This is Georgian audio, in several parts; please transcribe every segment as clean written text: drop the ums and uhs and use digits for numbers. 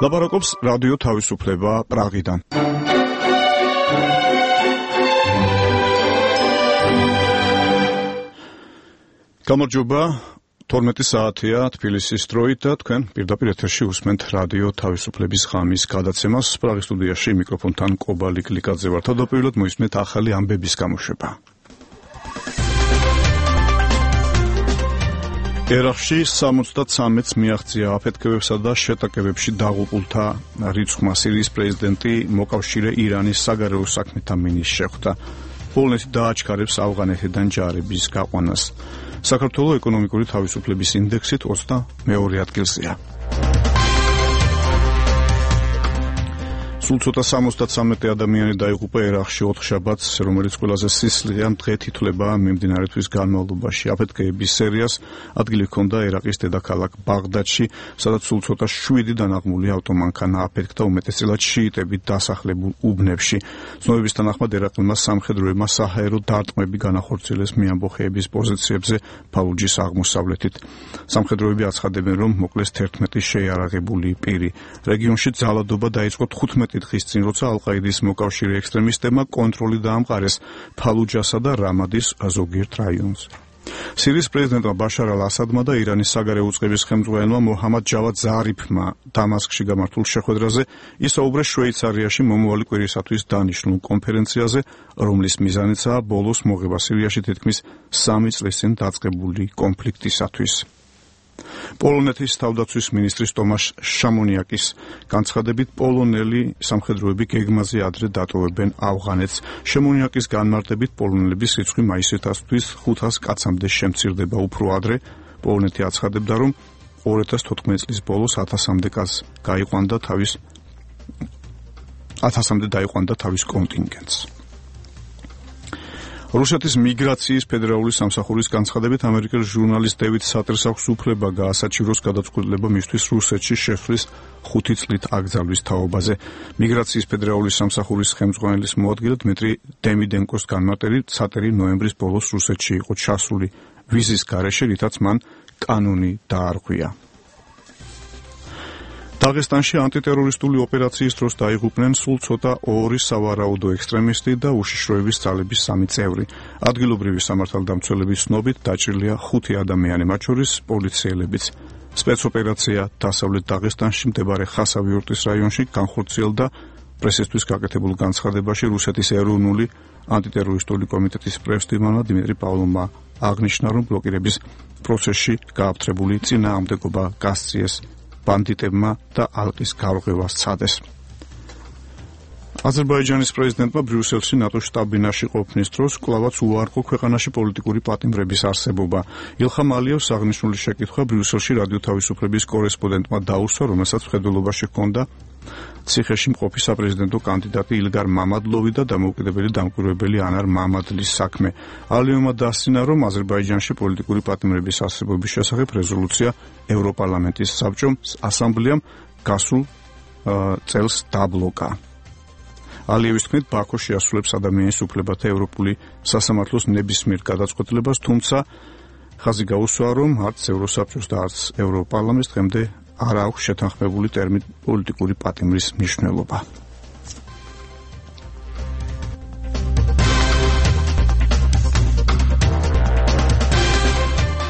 ლაპარაკობს რადიო თავისუფლება პრაღიდან. გამარჯობა, 12 საათია თბილისის დროით და თქვენ პირდაპირ ეთერში უსმენთ რადიო თავისუფლების ღამის გადაცემას. პრაღის სტუდიაში მიკროფონთან კობალი გლიკაძე ვარ. თავდაპირველად მოისმენთ ახალი ამბების გამოშვება. ერაყში 73-ს მიაღწია აფეთქებებსა და შეტაკებებში დაღუპულთა რიცხვმა. სირიის პრეზიდენტი მოკავშირე ირანის საგარეო საქმეთა მინისტრს შეხვდა. პოლონეთი დააჩქარებს ავღანეთიდან ჯარების გაყვანას. საქართველოს ეკონომიკური თავისუფლების ინდექსით 22 ადგილზეა. სულ ცოტა 73 ადამიანი დაიღუპა ერაყში 4 შაბათს, რომელიც ყველაზე სისხლიან დღედ ითვლება მიმდინარე თვის განმავლობაში. აფეთქებების სერიას ადგილი ჰქონდა ერაყის დედაქალაქ ბაღდადში, სადაც სულ ცოტა 7 დანაღმული ავტომანქანა აფეთქდა უმეტესწილად შიიტებით დასახლებულ უბნებში. ცნობების თანახმად ერაყელმა სამხედროებმა საჰაერო დარტყმები განახორციელეს მეამბოხეების პოზიციებზე ფალუჯის აღმოსავლეთით. სამხედროები აცხადებენ, რომ მოკლეს 11 შეიარაღებული პირი. რეგიონში ძალადობა დაიწყო 15 დღის წინ, როცა ალ-ყაიდის მოკავშირე ექსტრემისტებმა კონტროლი დაამყარეს ფალუჯასა და რამადის ზოგიერთ რაიონზე. სირიის პრეზიდენტმა ბაშარ ალ-ასადმა და ირანის საგარეო უწყების ხელმძღვანელმა მოჰამად ჯავად ზარიფმა დამასკში გამართულ შეხვედრაზე ისაუბრეს შვეიცარიაში მომავალი კვირისათვის დანიშნულ კონფერენციაზე, რომლის მიზანიცაა ბოლოს მოღება სირიაში თითქმის 3 წლის წინ დაწყებული კონფლიქტისათვის. პოლონეთის თავდაცვის მინისტრის ტომაშ შამონიაკის განცხადებით, პოლონელი სამხედროები გეგმაზე ადრე დატოვებენ ავღანეთს. შამონიაკის განმარტებით, პოლონელების რიცხვი მაისისათვის 500 კაცამდე შემცირდება უფრო ადრე. პოლონეთი აცხადებდა, რომ 2014 წლის ბოლოს 1000-მდე კაცს დაიყვანდა თავის კონტინგენტს. რუსეთის მიგრაციის ფედერალური სამსახურის განცხადებით, ამერიკელ ჟურნალისტ დევიდ სატერს აქვს უფლება გაასაჩივროს გადაწყვეტილება მისთვის რუსეთში შესვლის 5 წლით აკრძალვის თაობაზე. მიგრაციის ფედერალური სამსახურის ხელმძღვანელის მოადგილე დმიტრი დემიდენკოს განმარტებით, სატერი ნოემბრის ბოლოს რუსეთში იყო ჩასული ვიზის გარეშე, რითაც მან კანონი დაარღვია. დაღესტანში ანტიტერორისტული ოპერაციის დროს დაიღუპნენ სულ ცოტა 2 სავარაუდო ექსტრემისტი და უშიშროების ძალების 3 წევრი. ადგილობრივი სამართალდამცველების ცნობით დაჭრილია 5 ადამიანი, მათ შორის პოლიციელებიც. სპეცოპერაცია დასავლეთ დაღესტანში მდებარე ხასავიორტის რაიონში განხორციელდა. პრესისთვის გაკეთებულ განცხადებაში რუსეთის ეროვნული ანტიტერორისტული კომიტეტის პრეზიდენტმა დიმიტრი პავლოვმა აღნიშნა, რომ ბლოკირების პროცესში გააფთრებული წინააღმდეგობა გასწიეს ბანდიტებმა და ალყის გარღვევას სცადეს. აზერბაიჯანის პრეზიდენტმა ბრიუსელში ნატოს შტაბ-ბინაში ყოფნის დროს კვლავაც უარყო ქვეყანაში პოლიტიკური პატიმრების არსებობა. ილხამ ალიევს აღნიშნული შეკითხვა ბრიუსელში რადიო თავისუფლების კორესპონდენტმა დაუსვა, რომელსაც მხედველობაში ჰქონდა ციხეში მყოფი საპრეზიდენტო კანდიდატი ილგარ მამადლოვი და დამოუკიდებელი დამკვირვებელი ანარ მამადლის საქმე. ალიევმა დასცინა, რომ აზერბაიჯანში პოლიტიკური პატიმრების არსებობის შესახებ რეზოლუცია ევროპარლამენტის საბჭომ ასამბლეამ გასულ წელს დაბლოკა. ალიევის თქმით, ბაქო შეასრულებს ადამიანის უფლებათა ევროპული სასამართლოს ნებისმიერ გადაწყვეტილებას, თუმცა ხაზი გაუსვა, რომ არც ევროსაბჭოს და არც ევროპარლამენტს დღემდე არ აქვს შეთანხმებული ტერმინ პოლიტიკური პატიმრის მნიშვნელობა.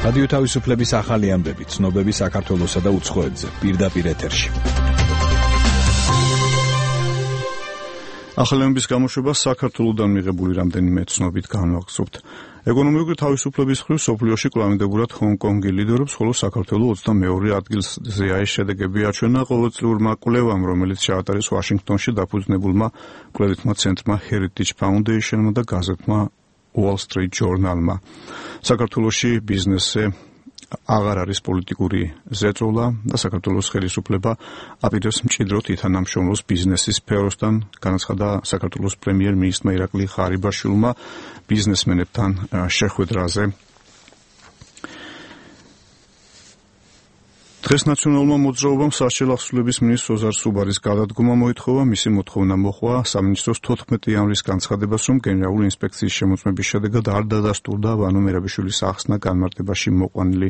რადიო თავისუფლების ახალი ამბები, ცნობები საქართველოსა და უცხოეთზე, პირდაპირ ეთერში. ახალი ამბების გამოშვება საქართველოსდან მიღებული რამდენიმე ცნობით განვაგრძობთ. ეკონომიკური თავისუფლების მხრივ სოფლიოში კლავინდებურად ჰონკონგი ლიდერობს, ხოლო საქართველოს 22 ადგილზეა. ეს შედეგები აჩვენა ყოველწლიურმა კვლევამ, რომელიც ჩაატარეს ვაშინგტონში დაფუძნებულმა კვლევითმა ცენტრმა Heritage Foundation-მა და გაზეთმა Wall Street Journal-მა. საქართველოში ბიზნესზე აღარ არის პოლიტიკური ზეწოლა და საქართველოს ხელისუფლება აპირებს მჭიდროდ ითანამშრომლოს ბიზნესის სფეროსთან, განაცხადა საქართველოს პრემიერ-მინისტრმა ირაკლი ღარიბაშვილმა ბიზნესმენებთან. 10 შეხვედრაზე დღეს ნაციონალურმა მოძრაობამ სასჯელ ახსნილების მინისტრ ოზარ სუბარის გადადგომა მოითხოვა. მისი მოთხოვნა მოჰყვა სამინისტროს 14 იანვრის განცხადებას, რომ გენერალური ინსპექციის შემოწმების შედეგად არ დადასტურდა ვანო მერაბიშვილის ახსნა განმარტებაში მოყვანილი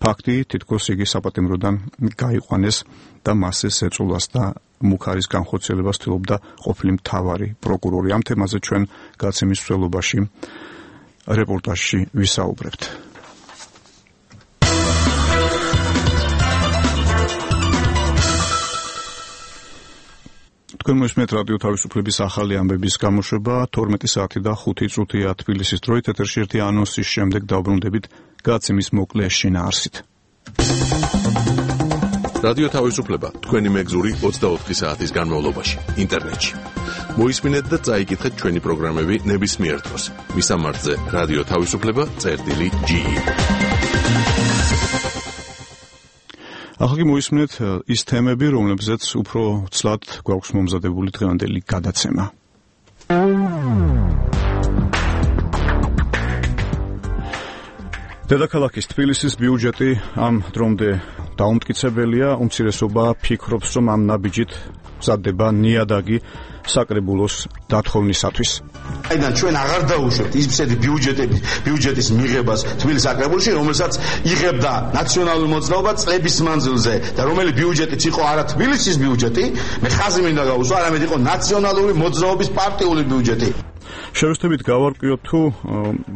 ფაქტი, თითქოს იგი საპატიმროდან გაიყვანეს და მასზე ზეწოლას და მუქარის განხორციელებას ცდილობდა ყოფილი მთავარი პროკურორი. ამ თემაზე ჩვენ გაცემის მსვლელობაში რეპორტაჟში ვისაუბრებთ. თქვენ მოსმენთ რადიო თავისუფლების ახალი ამბების გამოშვება 12 საათი და 5 წუთია თბილისის დროით. ეთერში ერთი ანონსის შემდეგ დავბრუნდებით გაცემის მოკლე შინაარსით. რადიო თავისუფლება თქვენი მეგზური 24 საათის განმავლობაში ინტერნეტში. მოისმინეთ და წაიკითხეთ ჩვენი პროგრამები ნებისმიერ დროს. მისამართზე რადიო თავისუფლება.ge. ახლა მოისმინეთ ის თემები, რომლებზეც უფრო ცლად გვაქვს მომზადებული დღევანდელი გადაცემა. დედაქალაქის თბილისის ბიუჯეტი ამ დრომდე დაუმტკიცებელია. უმცირესობა ფიქრობს, რომ ამ ნაბიჯით მზადდება ნიადაგი საკრებულოს დათხოვნისათვის. აიდან ჩვენ აღარ დაუშვებთ ისეთი ბიუჯეტის მიღებას თბილისის საკრებულოში, რომელსაც იღებდა ნაციონალური მოძრაობა წლების მანძილზე და რომელი ბიუჯეტიც იყო არა თბილისის ბიუჯეტი, მე ხაზი მინდა გავუსვა, არამედ იყო ნაციონალური მოძრაობის პარტიული ბიუჯეტი. შევეცდებით გავარკვიოთ თუ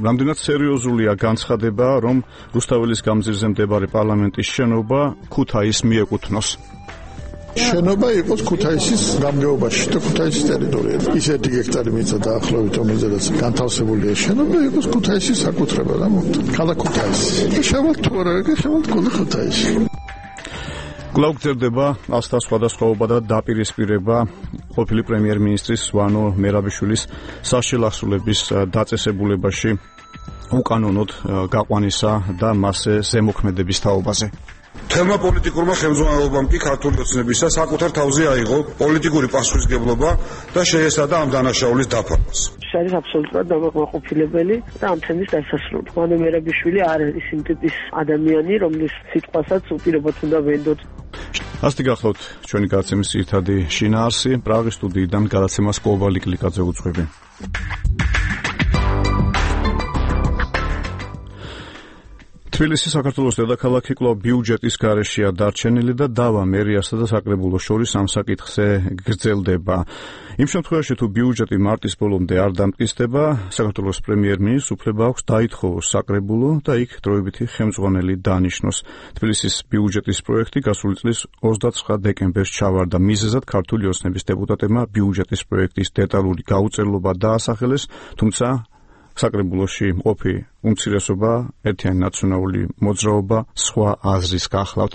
რამდენად სერიოზულია განცხადება, რომ რუსთაველის გამზირზე მდებარე პარლამენტის შენობა ქუთაისს მიეკუთვნოს. შენობა იყოს ქუთაისის გამგეობაში და ქუთაისის ტერიტორიაზე. ისეთი ჰექტარი მიწა დაახლოებით, რომელზედაც განთავსებულია შენობა, იყოს ქუთაისის საკუთრება და მოხდა. ქალაქ ქუთაისი. შევალთ თუ არა, შევალთ ქუთაისში. კვლავ გრძელდება ასთა სხვადასხვაობა და დაპირისპირება ყოფილი პრემიერ-მინისტრის ვანო მერაბიშვილის სასჯელ ახსნილების დაწესებულებაში უკანონოდ გაყვანისა და მასზე ზემოქმედების თაობაზე. თელმა პოლიტიკურმა ხელმძღვანელობამ კი ქართული ოცნებისა საკუთარ თავზე აიღო პოლიტიკური პასუხისმგებლობა და შეესადა ამ დანაშაულის დაფარვას. არის აბსოლუტურად დამაკმაყოფილებელი და ამ თემის დასასრული. ვანო მერაბიშვილი არ არის იმ ტიპის ადამიანი, რომლის სიტყვასაც უპირობოდ უნდა ვენდოთ. ასეთი გახლავთ ჩვენი გადაცემის ძირითადი შინაარსი. პრაღის სტუდიიდან გადაცემას კოვალი კლიკაძე უძღვები. თბილისი საქართველოს დედაქალაქი კვლავ ბიუჯეტის გარეშეა დარჩენილი და დავა მერიასა და საკრებულოს შორის ამ საკითხზე გრძელდება. იმ შემთხვევაში თუ ბიუჯეტი მარტის ბოლომდე არ დამტკიცდება, საქართველოს პრემიერ-მინისტრს უფლება აქვს დაითხოვოს საკრებულო და იქ დროებითი ხელმძღვანელი დანიშნოს. თბილისის ბიუჯეტის პროექტი გასული წლის 29 დეკემბერს ჩავარდა. მიზეზად ქართული ოცნების დეპუტატებმა ბიუჯეტის პროექტის დეტალური გაუწევლობა დაასახელეს, თუმცა საკრებულოში მყოფი უმცირესობა, ერთიანი ნაციონალური მოძრაობა სხვა აზრის გახლავთ.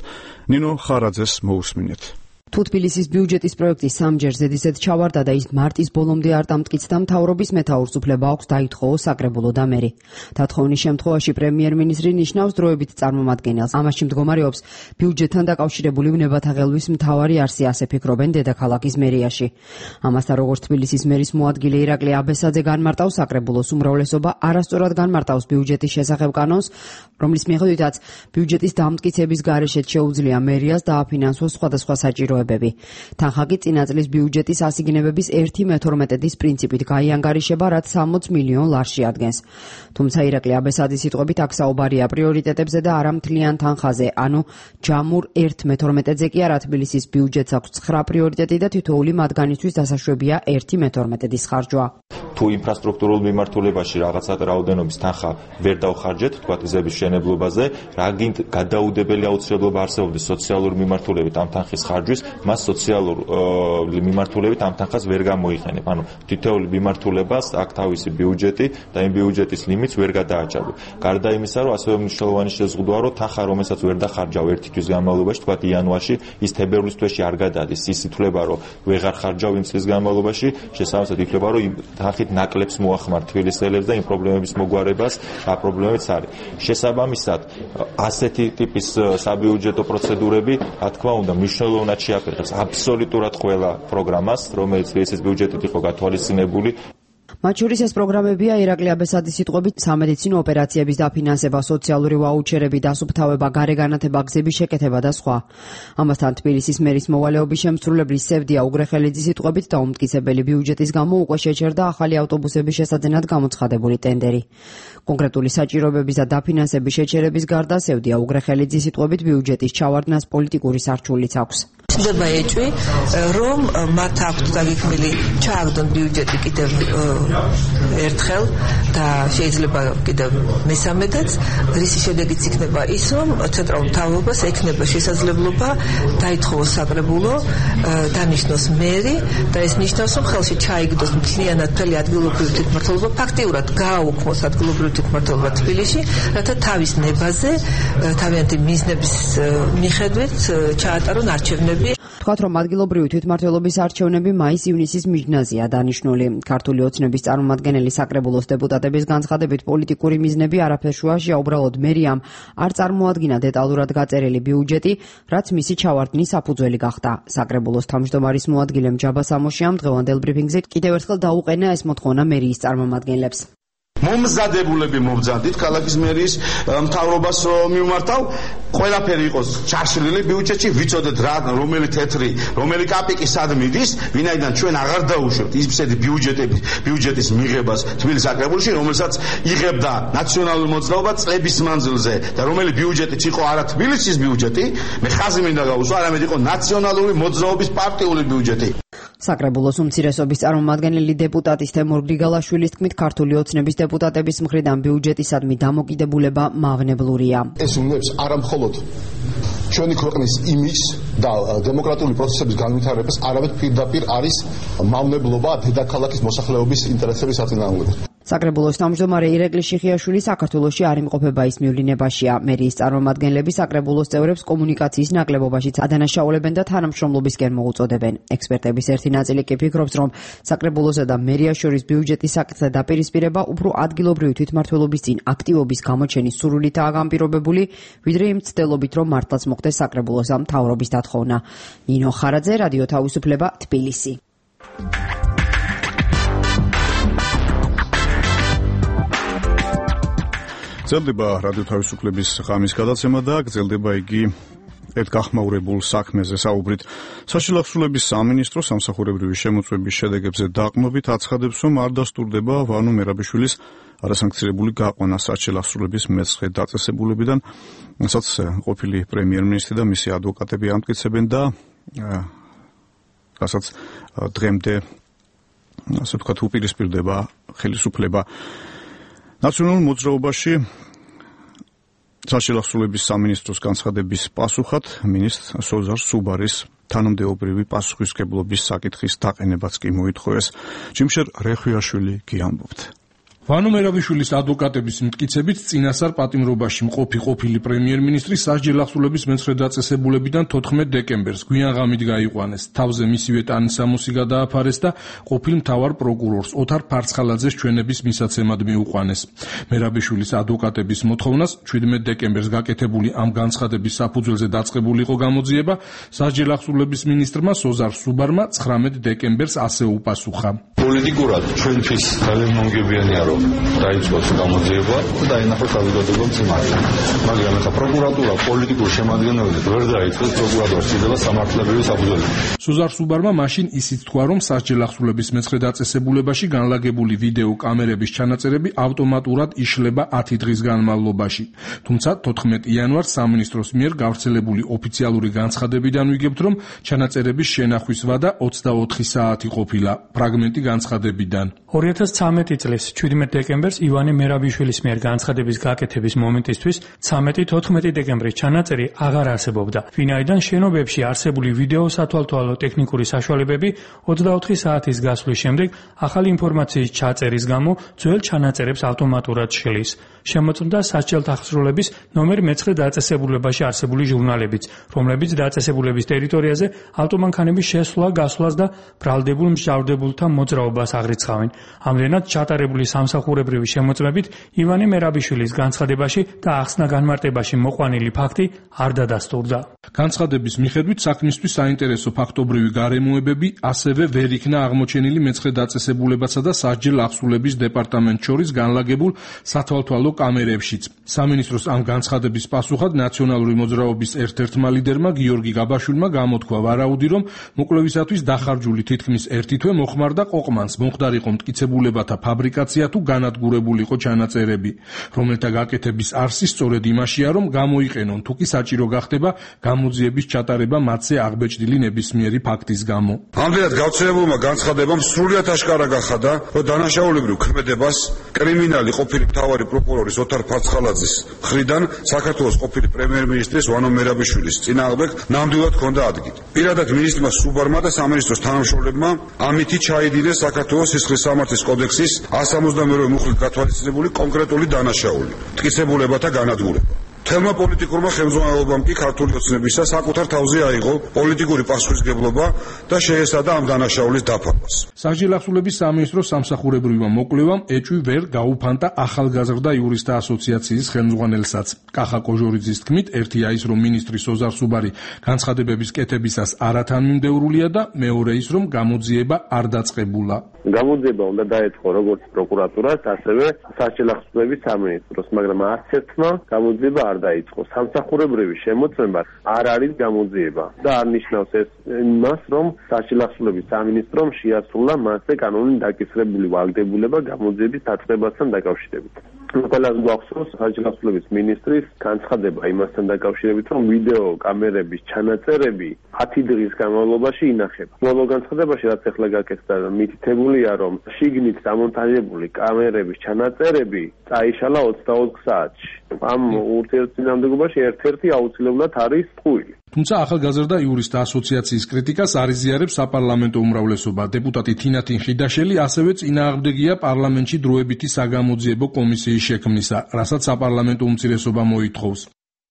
ნინო ხარაძეს მოусმინეთ. თუ თბილისის ბიუჯეტის პროექტი სამჯერ ზედიზედ ჩავარდა და ის მარტის ბოლომდე არ დამტკიცდა, მთავრობის მეთაურს უფლება აქვს დაითხოვოს საკრებულო და მერი. დათხოვნის შემთხვევაში პრემიერ-მინისტრი ნიშნავს დროებით წარმომადგენელს. ამაში მდგომარეობს ბიუჯეტთან დაკავშირებული ვნებათა ღელვის მთავარი არსი, ასე ფიქრობენ დედაქალაქის მერიაში. ამასთან როგორც თბილისის მერის მოადგილე ირაკლი აბესაძე განმარტავს, საკრებულოს უმრავლესობა არასწორად განმარტავს ბიუჯეტის შესახებ კანონს, რომლის მიხედვითაც ბიუჯეტის დამტკიცების გარეშეც შეუძლია მერიას დააფინანსოს სხვადასხვა საჭირო თანხა კი წინა წლის ბიუჯეტის ასიგნებების 1/12 პრინციპით გაიანგარიშება, რაც 60 მილიონ ლარში ადგენს. თუმცა ირაკლი აბესაძის სიტყვებით აქ საუბარია პრიორიტეტებზე და არა მთლიან თანხაზე, ანუ ჯამურ 1/12-ზე კი არა. თბილისის ბიუჯეტს აქვს 9 პრიორიტეტი და თითოეული მათგანისთვის დასაშვებია 1/12-ის ხარჯვა. თუ ინფრასტრუქტურულ მიმართულებაში რაღაცა რაოდენობის თანხა ვერ დავხარჯეთ, თქვათ გზების მშენებლობაზე, რა გინდ გადაუდებელი აუცილებლობა არსებობდეს სოციალური მიმართულებით ამ თანხის ხარჯვის, მას სოციალური მიმართულებით ამ თანხას ვერ გამოიყენებ. ანუ თითოეული მიმართულებას აქ თავისი ბიუჯეტი და იმ ბიუჯეტის ლიმიტს ვერ გადააჭარბე. გარდა იმისა, რომ ასევე მნიშვნელოვანი შეზღუდვაა, რომ თანხა, რომელსაც ვერ დახარჯავ ერთი თვის განმავლობაში, თქვათ იანვარში, ის თებერვლის თვეში არ გადადის. ის ითვლება, რომ ვეღარ ხარჯავ იმ წლის განმავლობაში, შესაბამისად ითვლება, რომ იმ თანხით ნაკლებს მოახმარ თბილისელებს და იმ პრობლემების მოგვარებას, რა პრობლემებიც არის. შესაბამისად, ასეთი ტიპის საბიუჯეტო პროცედურები, რა თქმა უნდა, მნიშვნელოვნად შეაფერხებს აბსოლუტურად ყველა პროგრამას, რომელიც თბილისის ბიუჯეტით იყო გათვალისწინებული. მათ შორის ეს პროგრამებია ირაკლი აბესაძის სიტყვებით სამედიცინო ოპერაციების დაფინანსება, სოციალური ვაუჩერები, დასუფთავება, გარეგანათება, გზების შეკეთება და სხვა. ამასთან თბილისის მერის მოვალეობის შემსრულებლის სევდია უგრეხელიძის სიტყვებით დაუმტკიცებელი ბიუჯეტის გამო უკვე შეჩერდა ახალი ავტობუსების შესაძენად გამოცხადებული ტენდერი. კონკრეტული საჭიროებების და დაფინანსების შეჩერების გარდა სევდია უგრეხელიძის სიტყვებით ბიუჯეტის ჩავარდნას პოლიტიკური სარჩულიც აქვს. ხდება ეჭვი, რომ მათ აქვთ გაგიქმნილი ჩააგდონ ბიუჯეტი კიდევ ერთხელ და შეიძლება კიდევ მესამედაც, რისი შედეგიც იქნება ის, რომ ცენტრალურ მთავრობას ექნება შესაძლებლობა დაითხოვოს საკრებულო, დანიშნოს მერი და ეს ნიშნავს, რომ ხელში ჩაიგდოს მთლიანად მთელი ადგილობრივი თვითმმართველობა, ფაქტიურად გააუქმოს ადგილობრივი თვითმმართველობა თბილისში, რათა თავის ნებაზე, თავიანთი მიზნების მიხედვით ჩაატარონ არჩევნები. თქვათ, რომ ადგილობრივი თვითმმართველობის არჩევნები მაის-ივნისის მიჯნაზეა დანიშნული. ქართული ოცნების წარმომადგენელი საკრებულოს დეპუტატების განცხადებით პოლიტიკური მიზნები არაფერ შუაშია, უბრალოდ მერიამ არ წარმოადგინა დეტალურად გაწერილი ბიუჯეტი, რაც მისი ჩავარდნის საფუძველი გახდა. საკრებულოს თავმჯდომარის მოადგილე ჯაბა სამოშიამ დღევანდელ ბრიფინგზე კიდევ ერთხელ დაუყენა ეს მოთხოვნა მერიის წარმომადგენლებს. მომზადებულები მობრძანდით ქალაქის მერიის მთავრობას მიმართავ, ყველაფერი იყოს ჩაშლილი ბიუჯეტში, ვიცოდეთ რა, რომელი თეთრი, რომელი კაპიკი სად მიდის, ვინაიდან ჩვენ აღარ დაუშვებთ ისეთი ბიუჯეტის მიღებას თბილისის საკრებულოში, რომელსაც იღებდა ნაციონალური მოძრაობა წლების მანძილზე და რომელი ბიუჯეტიც იყო არა თბილისის ბიუჯეტი, მე ხაზი მინდა გავუსვა, არამედ იყო ნაციონალური მოძრაობის პარტიული ბიუჯეტი. საკრებულოს უმცირესობის წარმომადგენელი დეპუტატის თემურ გრიგალაშვილის თქმით, ქართული ოცნების დეპუტატების მხრიდან ბიუჯეტისადმი დამოკიდებულება მავნებლურია. ეს უნებს არამხოლოდ ჩვენი ქვეყნის იმიჯს და დემოკრატიული პროცესების განვითარებას, არამედ პირდაპირ არის მავნებლობა დედაქალაქის მოსახლეობის ინტერესების საწინააღმდეგოდ. საკრებულოს თავმჯდომარე ირაკლი შიხიაშვილი საქართველოში არ იმყოფება ის მივლინებაშია. მერიის წარმომადგენლები საკრებულოს წევრებს კომუნიკაციის ნაკლებობაშიც ადანაშაულებენ და თანამშრომლობისკენ მოუწოდებენ. ექსპერტების ერთი ნაწილი კი ფიქრობს, რომ საკრებულოსა და მერიას შორის ბიუჯეტის საკითხზე დაპირისპირება უფრო ადგილობრივი თვითმმართველობის წინ აქტივობის გამოჩენის სურვილითაა განპირობებული, ვიდრე იმ ცდელობით, რომ მართლაც მოხდეს საკრებულოს ამ მთავრობის დათხოვნა. ნინო ხარაძე, რადიო თავისუფლება, თბილისი. გრძელდება რადიო თავისუფლების ღამის გადაცემა და გრძელდება იგი ერთ გახმაურებულ საქმეზე საუბრით. საშილახსოვრების სამინისტრო სამსახურებრივი შემოწმების შედეგებზე დაყრდნობით აცხადებს, რომ არ დასტურდება ვანო მერაბიშვილის არასანქცირებული გაყვანა საშილახსოვრების მეცხრე დაწესებულებიდან, რასაც ყოფილი პრემიერ-მინისტრი და მისი ადვოკატები ამტკიცებენ და რასაც დღემდე ასე ვთქვათ უპირისპირდება ხელისუფლება. ნაციონალურ მოძრაობაში საშილახსოვრების სამინისტროს განცხადების პასუხად მინისტრ სოზარ სუბარის თანამდებობრივი პასუხისმგებლობის საკითხის დაყენებაც კი მოითხოვეს. ჯიმშერ რეხვიაშვილი გიამბობთ. ვანო მერაბიშვილის ადვოკატების მტკიცებით წინასწარ პატიმრობაში მყოფი ყოფილი პრემიერ-მინისტრი სასჯელახსოვრების მეცხრე დაწესებულებიდან 14 დეკემბერს გვიან ღამით გაიყვანეს. თავზე მისივე ტანისამოსი გადააფარეს და ყოფილ მთავარ პროკურორს ოთარ ფარცხალაძეს ჩვენების მისაცემად მიუყვანეს. მერაბიშვილის ადვოკატების მოთხოვნას 17 დეკემბერს გაკეთებული ამ განცხადების საფუძველზე დაწყებული იყო გამოძიება. სასჯელახსოვრების მინისტრმა სოზარ სუბარმა 19 დეკემბერს ასე უპასუხა. პოლიტიკურად ჩვენთვის ძალიან მომგებიანია, რომ დაიწყოს გამოძიება და დაინახოს საზოგადოება მძიმარად. მაგრამ ახლა პროკურატურა პოლიტიკურ შემადგენლობით ვერ დაიწყოს პროკურატურის ცდილება სამართლებრივი საფუძველზე. სოზარ სუბარმა მაშინ ისიც თქვა, რომ სასჯელახსოვრების მეცხრე დაწესებულებაში განლაგებული ვიდეო კამერების ჩანაწერები ავტომატურად იშლება 10 დღის განმავლობაში. თუმცა 14 იანვარს სამინისტროს მიერ გავრცელებული ოფიციალური განცხადებიდან ვიგებთ, რომ ჩანაწერების შენახვის ვადა 24 საათი ყოფილა. ფრაგმენტი განცხადებიდან 2013 წლის 17 დეკემბერს ივანე მერაბიშვილის მიერ განცხადების გაკეთების მომენტისთვის 13-14 დეკემბრის ჩანაწერი აღარ არსებობდა. ვინაიდან შენობებში არსებული ვიდეო სათვალთვალო ტექნიკური საშუალებები 24 საათის გასვლის შემდეგ ახალი ინფორმაციის ჩაწერის გამო ძველ ჩანაწერებს ავტომატურად შლის. შემოწმდა სასჯელთაღსრულების ნომერ მე-9 დაწესებულებაში არსებული ჟურნალებიც, რომლებიც დაწესებულების ტერიტორიაზე ავტომანქანების შესვლა, გასვლას და ბრალდებულ მსჯავრდებულთა მოძრაობას მოძრაობას აღრიცხავენ. ამდენად ჩატარებული სამსახურებრივი შემოწმებით ივანე მერაბიშვილის განცხადებაში და ახსნა განმარტებაში მოყვანილი ფაქტი არ დადასტურდა. განცხადების მიხედვით საქმისთვის საინტერესო ფაქტობრივი გარემოებები ასევე ვერ იქნა აღმოჩენილი მეცხრე დაწესებულებასა და სასჯელ აღსრულების დეპარტამენტ შორის განლაგებულ სათვალთვალო კამერებშიც. სამინისტროს ამ განცხადების პასუხად ნაციონალური მოძრაობის ერთ-ერთმა ლიდერმა გიორგი გაბაშვილმა გამოთქვა ვარაუდი, რომ მოკვლევისათვის დახარჯული თითქმის ერთი თვე მოხმარდა ყოყმანს, მომხდარიყო მტკიცებულებათა ფაბრიკაცია თუ განადგურებულიყო ჩანაწერები, რომელთა გაკეთების არსი სწორედ იმაშია, რომ გამოიყენონ თუ კი საჭირო გახდება გამოძიების ჩატარება მათზე აღბეჭდილი ნებისმიერი ფაქტის გამო. ამდენად გავრცელებულმა განცხადებამ სრულიად აშკარა გახადა, რომ დანაშაულებრივ ქმედებას კრიმინალი ყოფილი მთავარი პროკურორის ოთარ ფაცხალაძის მხრიდან საქართველოს ყოფილი პრემიერ-მინისტრის ვანო მერაბიშვილის წინააღმდეგ ნამდვილად ჰქონდა ადგილი. პირადად მინისტრმა სუბარმა და სამინისტროს თანამშრომლებმა ამითი ჩაიდინეს საქართველოს სისხლის სამართლის კოდექსის 172 მუხლით გათვალისწინებული კონკრეტული დანაშაული, მტკიცებულებათა განადგურება. თელმა პოლიტიკურმა ხელმძღვანელობამ კი ქართული ოცნებისა საკუთარ თავზე აიღო პოლიტიკური პასუხისმგებლობა და შეესადა ამ დანაშაულის დაფარვას. სასჯელ აღსრულების სამინისტროს სამსახურებრივმა მოკვლევამ ეჭვი ვერ გაუფანტა ახალგაზრდა იურისტთა ასოციაციის ხელმძღვანელსაც. კახა კოჟორიძის თქმით, ერთია ის, რომ მინისტრი სოზარ სუბარი განცხადებების კეთებისას არათანმიმდევრულია და მეორე ის, რომ გამოძიება არ დაწყებულა. გამოძიება უნდა დაეწყო როგორც პროკურატურას, ასევე სასჯელ აღსრულების სამინისტროს, მაგრამ არც ერთმა გამოძიება არ დაიწყო. სამსახურებრივი შემოწმება არ არის გამოძიება და არ ნიშნავს ეს იმას, რომ სასჯელ აღსრულების სამინისტრომ შეასრულა მასზე კანონით დაკისრებული ვალდებულება გამოძიების დაწყებასთან დაკავშირებით. ყველას გვახსოვს სასჯელ აღსრულების მინისტრის განცხადება იმასთან დაკავშირებით, რომ ვიდეო კამერების ჩანაწერები 10 დღის განმავლობაში ინახება. ბოლო განცხადებაში, რაც ახლა გაკეთდა, მითითებულია, რომ შიგნით დამონტაჟებული კამერების ჩანაწერები წაიშალა 24 საათში. ამ ურთიერთწინააღმდეგობაში ერთ-ერთი აუცილებლად არის ტყუილი. თუმცა ახალგაზრდა იურისტთა ასოციაციის კრიტიკას არ იზიარებს საპარლამენტო უმრავლესობა. დეპუტატი თინათინ ხიდაშელი ასევე წინააღმდეგია პარლამენტში დროებითი საგამოძიებო კომისიის შექმნისა, რასაც საპარლამენტო უმცირესობა მოითხოვს.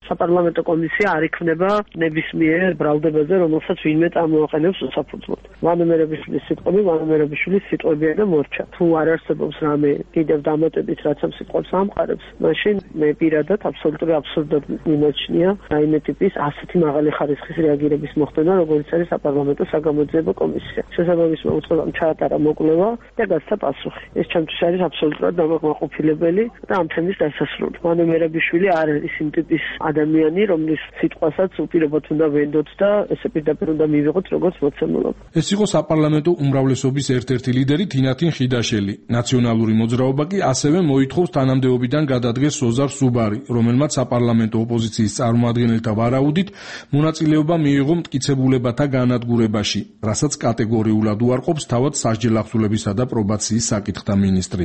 საპარლამენტო კომისია არ იქნება ნებისმიერ ბრალდებაზე, რომელსაც ვინმე წარმოაყენებს უსაფუძვლოდ. ვანო მერაბიშვილის სიტყვები, ვანო მერაბიშვილის სიტყვებია და მორჩა. თუ არ არსებობს რამე კიდევ დამატებით, რაც ამ სიტყვებს ამყარებს, მაშინ მე პირადად აბსოლუტური აბსურდად მიმაჩნია რაიმე ტიპის ასეთი მაღალი ხარისხის რეაგირების მოხდენა, როგორც არის საპარლამენტო საგამოძიებო კომისია. შესაბამის მოუწყებამ ჩაატარა მოკვლევა და გასცა პასუხი. ეს ჩემთვის არის აბსოლუტურად დამაკმაყოფილებელი და ამ თემის დასასრული. ვანო მერაბიშვილი არ არის იმ ტიპის ადამიანი, რომლის სიტყვასაც უპირობოდ უნდა ვენდოთ და ესე პირდაპირ უნდა მივიღოთ როგორც მოცემულობა. ეს იყო საპარლამენტო უმრავლესობის ერთ-ერთი ლიდერი თინათინ ხიდაშელი. ნაციონალური მოძრაობა კი ასევე მოითხოვს თანამდებობიდან გადადგეს სოზარ სუბარი, რომელმაც საპარლამენტო ოპოზიციის წარმომადგენელთა ვარაუდით მონაწილეობა მიიღო მტკიცებულებათა განადგურებაში, რასაც კატეგორიულად უარყოფს თავად სასჯელ აღსრულებისა და პრობაციის საკითხთა მინისტრი.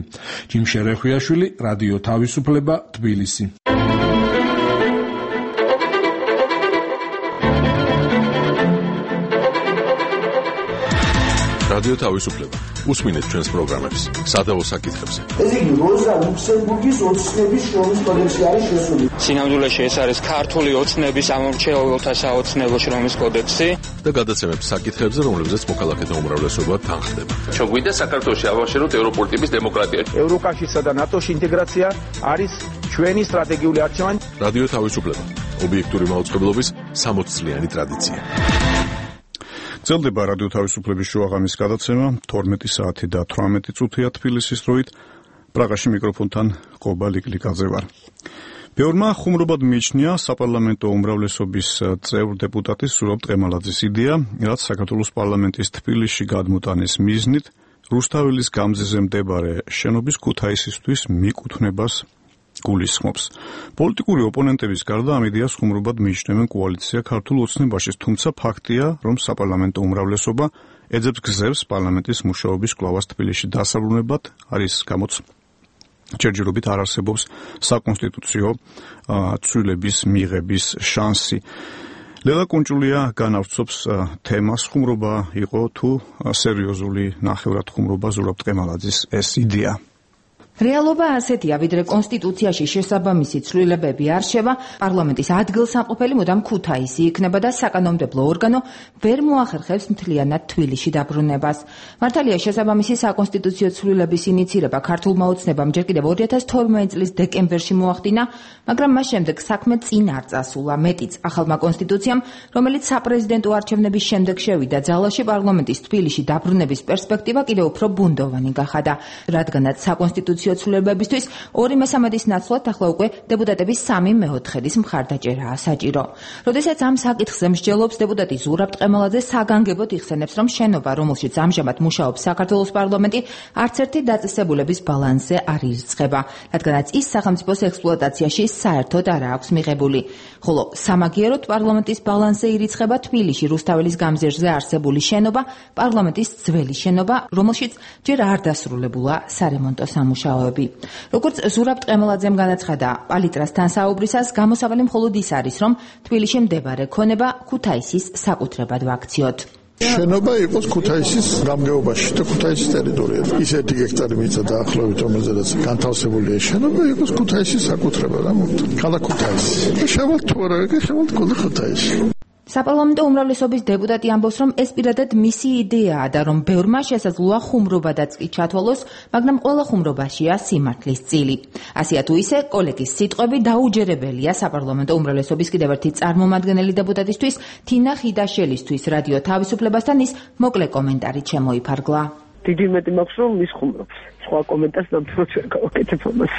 ჯიმ შერეხვიაშვილი, რადიო თავისუფლება, თბილისი. რადიო თავისუფლება. უსმინეთ ჩვენს პროგრამებს სადავო საკითხებზე. ეს იგი როზა ლუქსემბურგის ოცნების შრომის კოდექსი არის შესული. სინამდვილეში ეს არის ქართული ოცნების ამომრჩეველთა საოცნებო შრომის კოდექსი და გადაცემებს საკითხებზე, რომლებზეც მოქალაქეთა უმრავლესობა თანხდება. ჩვენ გვინდა საქართველოში ავაშენოთ ევროპული ტიპის დემოკრატია. ევროკავშირსა და ნატოში ინტეგრაცია არის ჩვენი სტრატეგიული არჩევანი. რადიო თავისუფლება. ობიექტური მაუწყებლობის 60 წლიანი ტრადიცია. ძლდება რადიო თავისუფლების შუაღამის გადაცემა 12 საათი და 18 წუთია თბილისის დროით. პრაღაში მიკროფონთან ყობა ლიკლიკაძე ვარ. ბევრმა ხუმრობად მიიჩნია საპარლამენტო უმრავლესობის წევრ დეპუტატის სურაბ ტყემალაძის იდეა, რაც საქართველოს პარლამენტის თბილისში გადმოტანის მიზნით რუსთაველის გამზეზე მდებარე შენობის ქუთაისისთვის მიკუთვნებას გულისხმობს. პოლიტიკური ოპონენტების გარდა ამ იდეას ხუმრობად მიიჩნევენ კოალიცია ქართულ ოცნებაში, თუმცა ფაქტია, რომ საპარლამენტო უმრავლესობა ეძებს გზებს პარლამენტის მუშაობის კვლავას თბილისში დასაბრუნებლად, არის გამოც ჯერჯერობით არ არსებობს საკონსტიტუციო ცვლილების მიღების შანსი. ლელა კუნჭულია განავრცობს თემას, ხუმრობა იყო თუ სერიოზული ნახევრად ხუმრობა ზურაბ ტყემალაძის ეს იდეა. რეალობა ასეთია, ვიდრე კონსტიტუციაში შესაბამისი ცვლილებები არ შევა, პარლამენტის ადგილსამყოფელი მუდამ ქუთაისი იქნება და საკანონმდებლო ორგანო ვერ მოახერხებს მთლიანად თბილისში დაბრუნებას. მართალია, შესაბამისი საკონსტიტუციო ცვლილების ინიცირება ქართულმა ოცნებამ ჯერ კიდევ 2012 წლის დეკემბერში მოახდინა, მაგრამ მას შემდეგ საქმე წინ არ წასულა. მეტიც, ახალმა კონსტიტუციამ, რომელიც საპრეზიდენტო არჩევნების შემდეგ შევიდა ძალაში, პარლამენტის თბილისში დაბრუნების პერსპექტივა კიდევ უფრო ბუნდოვანი გახადა, რადგანაც საკონსტიტუციო ცვლილებებისთვის 2/3 ნაცვლად ახლა უკვე დეპუტატების 3/4 მხარდაჭერაა საჭირო. როდესაც ამ საკითხზე მსჯელობს დეპუტატი ზურაბ ტყემალაძე საგანგებოდ იხსენებს, რომ შენობა, რომელშიც ამჟამად მუშაობს საქართველოს პარლამენტი, არც ერთი დაწესებულების ბალანსზე არ ირიცხება, რადგანაც ის სახელმწიფოს ექსპლუატაციაში საერთოდ არ აქვს მიღებული. ხოლო სამაგიეროდ პარლამენტის ბალანსზე ირიცხება თბილისში რუსთაველის გამზირზე არსებული შენობა, პარლამენტის ძველი შენობა, რომელშიც ჯერ არ დასრულებულა სარემონტო სამუშაოები. როგორც ზურაბ ტყემალაძემ განაცხადა, პალიტრასთან საუბრისას გამოსავალი მხოლოდ ის არის, რომ თბილისში მდებარე ქონება ქუთაისის საკუთრებად ვაქციოთ. შენობა იყოს ქუთაისის გამგეობაში და ქუთაისის ტერიტორიაზე. ის 1 ჰექტარი მიწა დაახლოებით, რომელზედაც განთავსებულია შენობა, იყოს ქუთაისის საკუთრება და მოხდა. ქალაქ ქუთაისი. შევალთ თუ არა, შევალთ ქუთაისში. საპარლამენტო უმრავლესობის დეპუტატი ამბობს, რომ ეს პირადად მისი იდეაა და რომ ბევრმა შესაძლოა ხუმრობადაც კი ჩათვალოს, მაგრამ ყველა ხუმრობაშია სიმართლის წილი. ასეა თუ ისე, კოლეგის სიტყვები დაუჯერებელია საპარლამენტო უმრავლესობის კიდევ ერთი წარმომადგენელი დეპუტატისთვის, თინა ხიდაშელისთვის რადიო თავისუფლებასთან ის მოკლე კომენტარით შემოიფარგლა. დიდი მეტი მაქვს, რომ ის ხუმრობს. სხვა კომენტარს ნამდვილად ვერ გავაკეთებ ამას.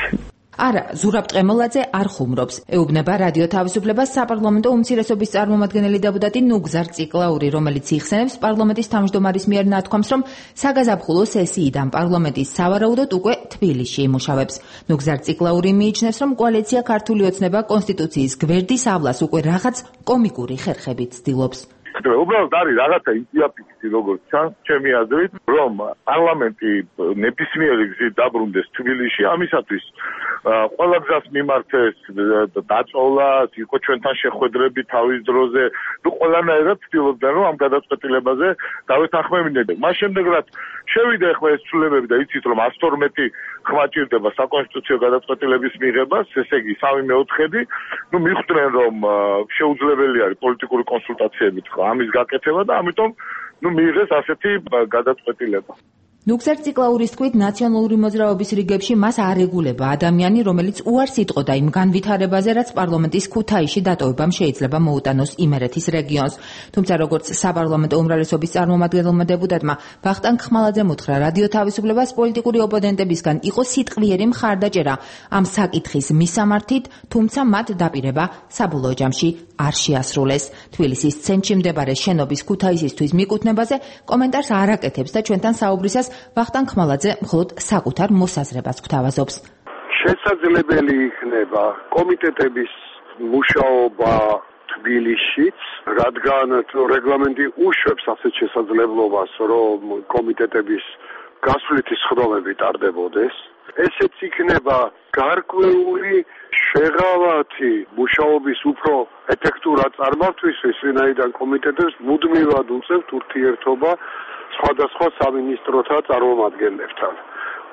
არა, ზურაბ ტყემალაძე არ ხუმრობს. ეუბნება რადიო თავისუფლებას საპარლამენტო უმცირესობის წარმომადგენელი დეპუტატი ნუგზარ ციკლაური, რომელიც იხსენებს პარლამენტის თავმჯდომარის მიერ ნათქვამს, რომ საგაზაფხულო სესიიდან პარლამენტის სავარაუდოდ უკვე თბილისში იმუშავებს. ნუგზარ ციკლაური მიიჩნევს, რომ კოალიცია ქართული ოცნება კონსტიტუციის გვერდის ავლას უკვე რაღაც კომიკური ხერხებით ცდილობს. უბრალოდ არის რაღაცა ინიციატივი, როგორც ჩანს, ჩემი აზრით, რომ პარლამენტი ნებისმიერი გზით დაბრუნდეს თბილისში, ამისათვის ყველა გზას მიმართეს, დაწოლა, იყო ჩვენთან შეხვედრები თავის დროზე, ყველანაირად ცდილობდნენ, რომ ამ გადაწყვეტილებაზე დავეთანხმებინებდნენ. მას შემდეგ რაც შევიდა ახლა ეს ცვლილებები და იცით, რომ 112 ხმა ჭირდება საკონსტიტუციო გადაწყვეტილების მიღებას, ესე იგი 3/4, მიხვდნენ, რომ შეუძლებელი არის პოლიტიკური კონსულტაციებით ამის გაკეთება და ამიტომ მიიღეს ასეთი გადაწყვეტილება. ნუგზარ ციკლაურის თქმით, ნაციონალური მოძრაობის რიგებში მას არ ეგულება ადამიანი, რომელიც უარს იტყოდა იმ განვითარებაზე, რაც პარლამენტის ქუთაისში დატოვებამ შეიძლება მოუტანოს იმერეთის რეგიონს. თუმცა, როგორც საპარლამენტო უმრავლესობის წარმომადგენელმა დეპუტატმა ვახტანგ ხმალაძემ უთხრა რადიო თავისუფლებას, პოლიტიკური ოპონენტებისგან იყო სიტყვიერი მხარდაჭერა ამ საკითხის მისამართით, თუმცა მათ დაპირება საბოლოო ჯამში არ შეასრულეს. თბილისის ცენტრში მდებარე შენობის ქუთაისისთვის მიკუთვნებაზე კომენტარს არ აკეთებს და ჩვენთან საუბრისას ვახტანგ ხმალაძე მხოლოდ საკუთარ მოსაზრებას გვთავაზობს. შესაძლებელი იქნება კომიტეტების მუშაობა თბილისშიც, რადგან რეგლამენტი უშვებს ასეთ შესაძლებლობას, რომ კომიტეტების გასვლითი სხდომები ტარდებოდეს. ესეც იქნება გარკვეული შეღავათი მუშაობის უფრო ეფექტურად წარმართვისთვის, ვინაიდან კომიტეტებს მუდმივად უწევთ ურთიერთობა სხვადასხვა სამინისტროთა წარმომადგენლებთან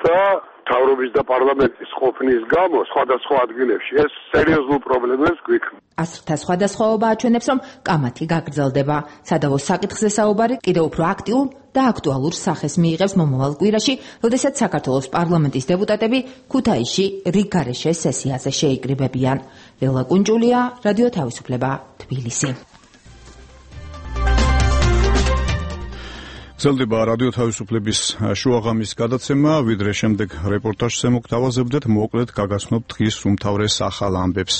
და მთავრობის და პარლამენტის ყოფნის გამო სხვადასხვა ადგილებში ეს სერიოზულ პრობლემებს გვიქმნის. ასრთა სხვადასხვაობა აჩვენებს, რომ კამათი გაგრძელდება. სადავო საკითხზე საუბარი კიდევ უფრო აქტიურ და აქტუალურ სახეს მიიღებს მომავალ კვირაში, როდესაც საქართველოს პარლამენტის დეპუტატები ქუთაისში რიგგარეშე სესიაზე შეიკრიბებიან. ლელა კუნჭულია, რადიო თავისუფლება, თბილისი. გრძელდება რადიო თავისუფლების შუაღამის გადაცემა, ვიდრე შემდეგ რეპორტაჟზე მოგთავაზებდეთ, მოკლედ გაგაცნობთ დღის უმთავრეს ახალ ამბებს.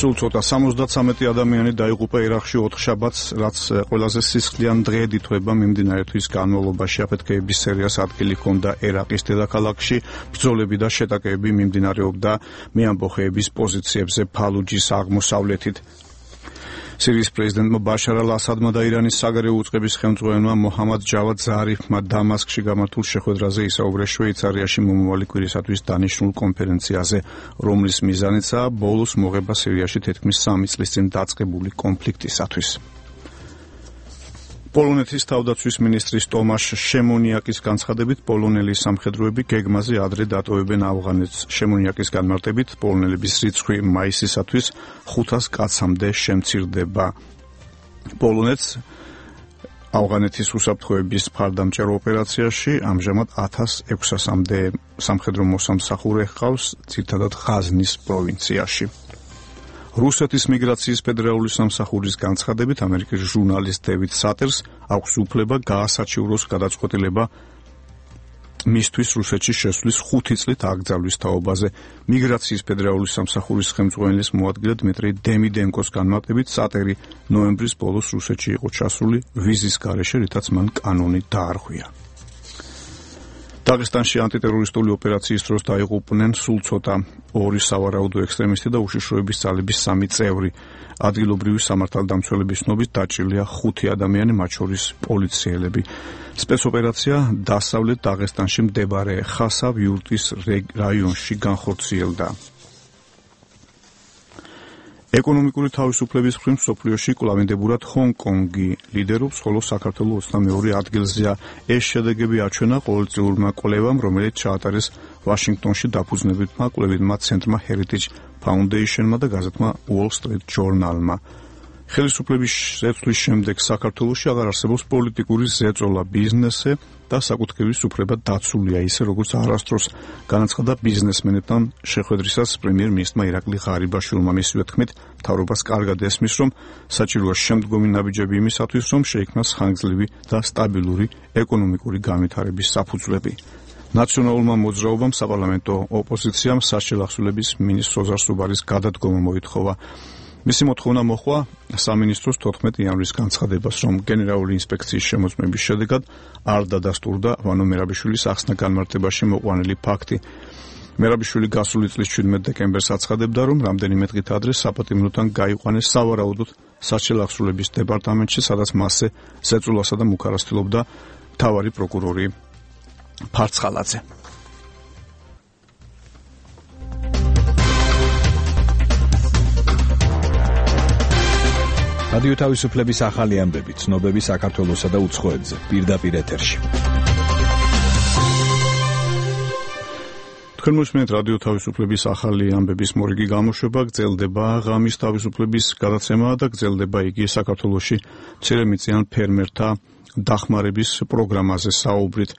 სულ ცოტა 73 ადამიანი დაიღუპა ერაყში 4 შაბათს, რაც ყველაზე სისხლიან დღედ ითვლება მიმდინარე თვის განმავლობაში. აფეთქეების სერიას ადგილი ჰქონდა ერაყის დედაქალაქში, ბრძოლები და შეტაკებები მიმდინარეობდა მეამბოხეების პოზიციებზე ფალუჯის აღმოსავლეთით. სირიის პრეზიდენტმა ბაშარ ალ-ასადმა და ირანის საგარეო უწყების ხელმძღვანელმა მოჰამად ჯავად ზარიფმა დამასკში გამართულ შეხვედრაზე ისაუბრეს შვეიცარიაში მომავალი კვირისათვის დანიშნულ კონფერენციაზე, რომლის მიზანიცაა ბოლოს მოღება სირიაში თითქმის 3 წლის წინ დაწყებული კონფლიქტისათვის. პოლონეთის თავდაცვის მინისტრის ტომაშ შემონიაკის განცხადებით პოლონელი სამხედროები გეგმაზე ადრე დატოვებენ ავღანეთს. შემონიაკის განმარტებით პოლონელების რიცხვი მაისისათვის 500 კაცამდე შემცირდება. პოლონეთს ავღანეთის უსაფრთხოების მხარდამჭერო ოპერაციაში ამჟამად 1600-მდე სამხედრო მოსამსახურე ჰყავს, ძირითადად ღაზნის პროვინციაში. რუსეთის მიგრაციის ფედერალური სამსახურის განცხადებით ამერიკის ჟურნალისტ დევიდ სატერს აქვს უფლება გაასაჩივროს გადაწყვეტილება მისთვის რუსეთში შესვლის 5 წლით აკრძალვის თაობაზე. მიგრაციის ფედერალური სამსახურის ხელმძღვანელის მოადგილე დმიტრი დემიდენკოს განმარტებით სატერი ნოემბრის ბოლოს რუსეთში იყო ჩასული ვიზის გარეშე, რითაც მან კანონი დაარღვია. დაღესტანში ანტიტერორისტული ოპერაციის დროს დაიღუპნენ სულ ცოტა 2 სავარაუდო ექსტრემისტი და უშიშროების ძალების 3 წევრი. ადგილობრივი სამართალდამცველების ცნობით დაჭრილია 5 ადამიანი, მათ შორის პოლიციელები. სპეცოპერაცია დასავლეთ დაღესტანში მდებარე ხასავ-იურტის რაიონში განხორციელდა. ეკონომიკური თავისუფლების მხრივ მსოფლიოში კვლავინდებურად ჰონგ-კონგი ლიდერობს, ხოლო საქართველოს 22 ადგილზეა. ეს შედეგები აჩვენა ყოველწლიურმა კვლევამ, რომელიც ჩაატარეს ვაშინგტონში დაფუძნებელმა კვლევითმა ცენტრმა Heritage Foundation-მა და გაზეთმა Wall Street Journal-მა. ხელისუფლების შეცვლის შემდეგ საქართველოში აღარ არსებობს პოლიტიკური ზეწოლა, ბიზნესზე და საკუთრივის უფლება დაცულია, ისე როგორც არასდროს განაცხადა ბიზნესმენებთან შეხვედრისას პრემიერ-მინისტრმა ირაკლი ღარიბაშვილმა. მისივე თქმით, მთავრობას კარგად ესმის, რომ საჭიროა შემდგომი ნაბიჯები იმისათვის, რომ შეიქმნას ხანგრძლივი და სტაბილური ეკონომიკური განვითარების საფუძვლები. ნაციონალურმა მოძრაობამ საპარლამენტო ოპოზიციამ სასჯელახსოვრების მინისტრ ოზარ სუბარის გადადგომა მოითხოვა. მისი მოთხოვნა მოჰყვა სამინისტროს 14 იანვრის განცხადებას, რომ გენერალური ინსპექციის შემოწმების შედეგად არ დადასტურდა ვანო მერაბიშვილის ახსნა განმარტებაში მოყვანილი ფაქტი. მერაბიშვილი გასული წლის 17 დეკემბერს აცხადებდა, რომ რამდენიმე დღით ადრე საპატიმროდან გაიყვანეს სავარაუდოდ სასჯელახსოვრების დეპარტამენტში, სადაც მასზე ზეწოლასა და მუქარას თილობდა მთავარი პროკურორი ფარცხალაძე. რადიო თავისუფლების ახალი ამბები, ცნობები საქართველოსა და უცხოეთზე, პირდაპირ ეთერში. თქვენ მოსმენთ რადიო თავისუფლების ახალი ამბების მორიგი გამოშვება, გრძელდება ღამის თავისუფლების გადაცემა და გრძელდება იგი საქართველოში მცირემიწიან ფერმერთა დახმარების პროგრამაზე საუბრით.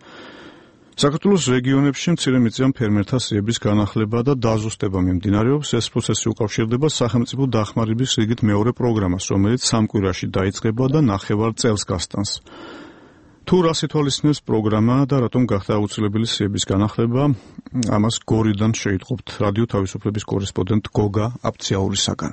საქართველოს რეგიონებში მცირემიწიან ფერმერთა სიების განახლება და დაზუსტება მიმდინარეობს. ეს პროცესი უკავშირდება სახელმწიფო დახმარების რიგით მეორე პროგრამას, რომელიც 3 კვირაში დაიწყება და 9 წელს გასტანს. თუ რას ითვალისწინებს პროგრამა და რატომ გახდა აუცილებელი სიების განახლება, ამას გორიდან შეიტყობთ რადიო თავისუფლების კორესპონდენტ გოგა აფციაურისაგან.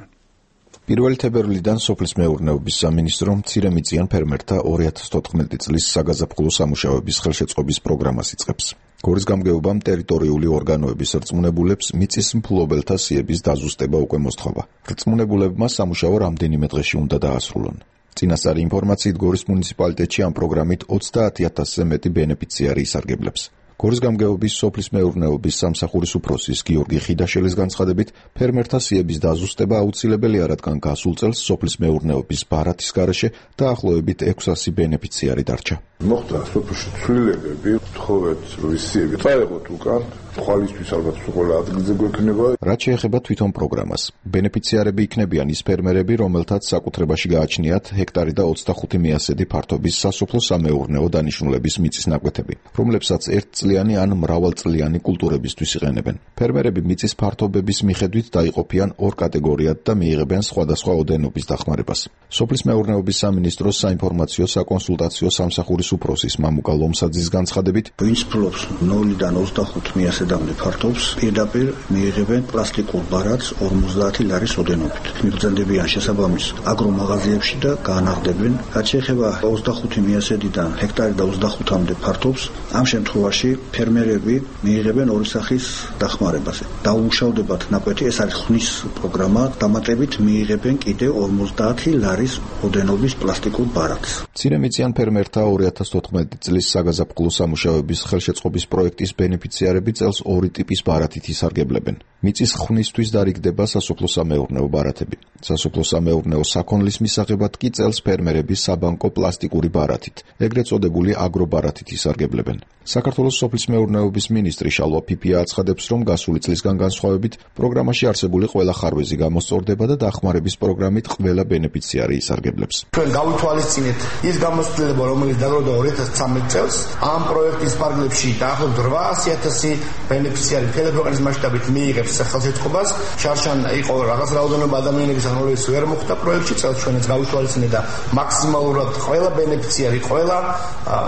1 თებერვლიდან სოფლის მეურნეობის სამინისტრო მცირემიწიან ფერმერთა 2014 წლის საგაზაფხულო სამუშაოების ხელშეწყობის პროგრამას იწყებს. გორის გამგეობამ ტერიტორიული ორგანოების რწმუნებულებს მიწის მფლობელთა სიების დაზუსტება უკვე მოსთხოვა. რწმუნებულებმა სამუშაო რამდენიმე დღეში უნდა დაასრულონ. წინასწარი ინფორმაციით გორის მუნიციპალიტეტში ამ პროგრამით 30,000-ზე მეტი ბენეფიციარი ისარგებლებს. გორის გამგეობის სოფლის მეურნეობის სამსახურის უფროსის გიორგი ხიდაშელის განცხადებით, ფერმერთა სიების დაზუსტება აუცილებელია, რადგან გასულ წელს სოფლის მეურნეობის ბარათის გარეშე დაახლოებით 600 ბენეფიციარი დარჩა. მოხდა სოფელში ცვლილებები, თხოვეთ რომ სიები წაეღოთ უკან, თვალისთვის ალბათ უყოლა ადგილზე გვექნება. რაც შეეხება თვითონ პროგრამას, ბენეფიციარები იქნებიან ის ფერმერები, რომელთაც საკუთრებაში გააჩნიათ ჰექტარი და 25 მიასედი ფართობის სასოფლო სამეურნეო დანიშნულების მიწის ნაკვეთები, რომლებსაც ერთწლიანი ან მრავალწლიანი კულტურებისთვის იყენებენ. ფერმერები მიწის ფართობების მიხედვით დაიყოფიან 2 კატეგორიად და მიიღებენ სხვადასხვა ოდენობის დახმარებას. სოფლის მეურნეობის სამინისტროს საინფორმაციო საკონსულტაციო სამსახურის უფროსის მამუკა ლომსაძის განცხადებით, ვინც ფლობს 0-დან 25 მიასედამდე ფართობს, პირდაპირ მიიღებენ პლასტიკურ ბარათს 50 ლარის ოდენობით. მიგრძენდებიან შესაბამის აგრომაღაზიებში და გაანაღდებენ. რაც შეეხება 25 მიასედიდან ჰექტარი და 25-მდე ფართობს, ამ შემთხვევაში ფერმერები მიიღებენ 2 სახის დახმარებას. დაუმუშავდებათ ნაკვეთი, ეს არის ხნის პროგრამა, დამატებით მიიღებენ კიდე 50 ლარის ოდენობის პლასტიკურ ბარათს. მცირემიწიან ფერმერთა 2014 წლის საგაზაფხულო სამუშაოების ხელშეწყობის პროექტის ბენეფიციარები წელს წელს ორი ტიპის ბარათით ისარგებლებენ. მიწის ხვნისთვის დარიგდება სასოფლო-სამეურნეო ბარათები. სასოფლო-სამეურნეო საქონლის მისაღებად კი წელს ფერმერები საბანკო პლასტიკური ბარათით, ეგრეთ წოდებული აგრობარათით ისარგებლებენ. საქართველოს სოფლის მეურნეობის მინისტრი შალვა ფიფია აცხადებს, რომ გასული წლისგან განსხვავებით პროგრამაში არსებული ყველა ხარვეზი გამოსწორდება და დახმარების პროგრამით ყველა ბენეფიციარი ისარგებლებს. ჩვენ გავითვალისწინეთ ის გამოცდილება, რომელიც დაგროვდა 2013 წელს. ამ პროექტის პარალელში დაახლოებით 800,000 ბენეფიციარი მთელი ქვეყნის მასშტაბით მიიღებს ხელშეწყობას. შარშან იყო რაღაც რაოდენობა ადამიანების, რომლებიც ვერ მოხვდა პროექტში, წელს ჩვენაც გავითვალისწინეთ და მაქსიმალურად ყველა ბენეფიციარი, ყველა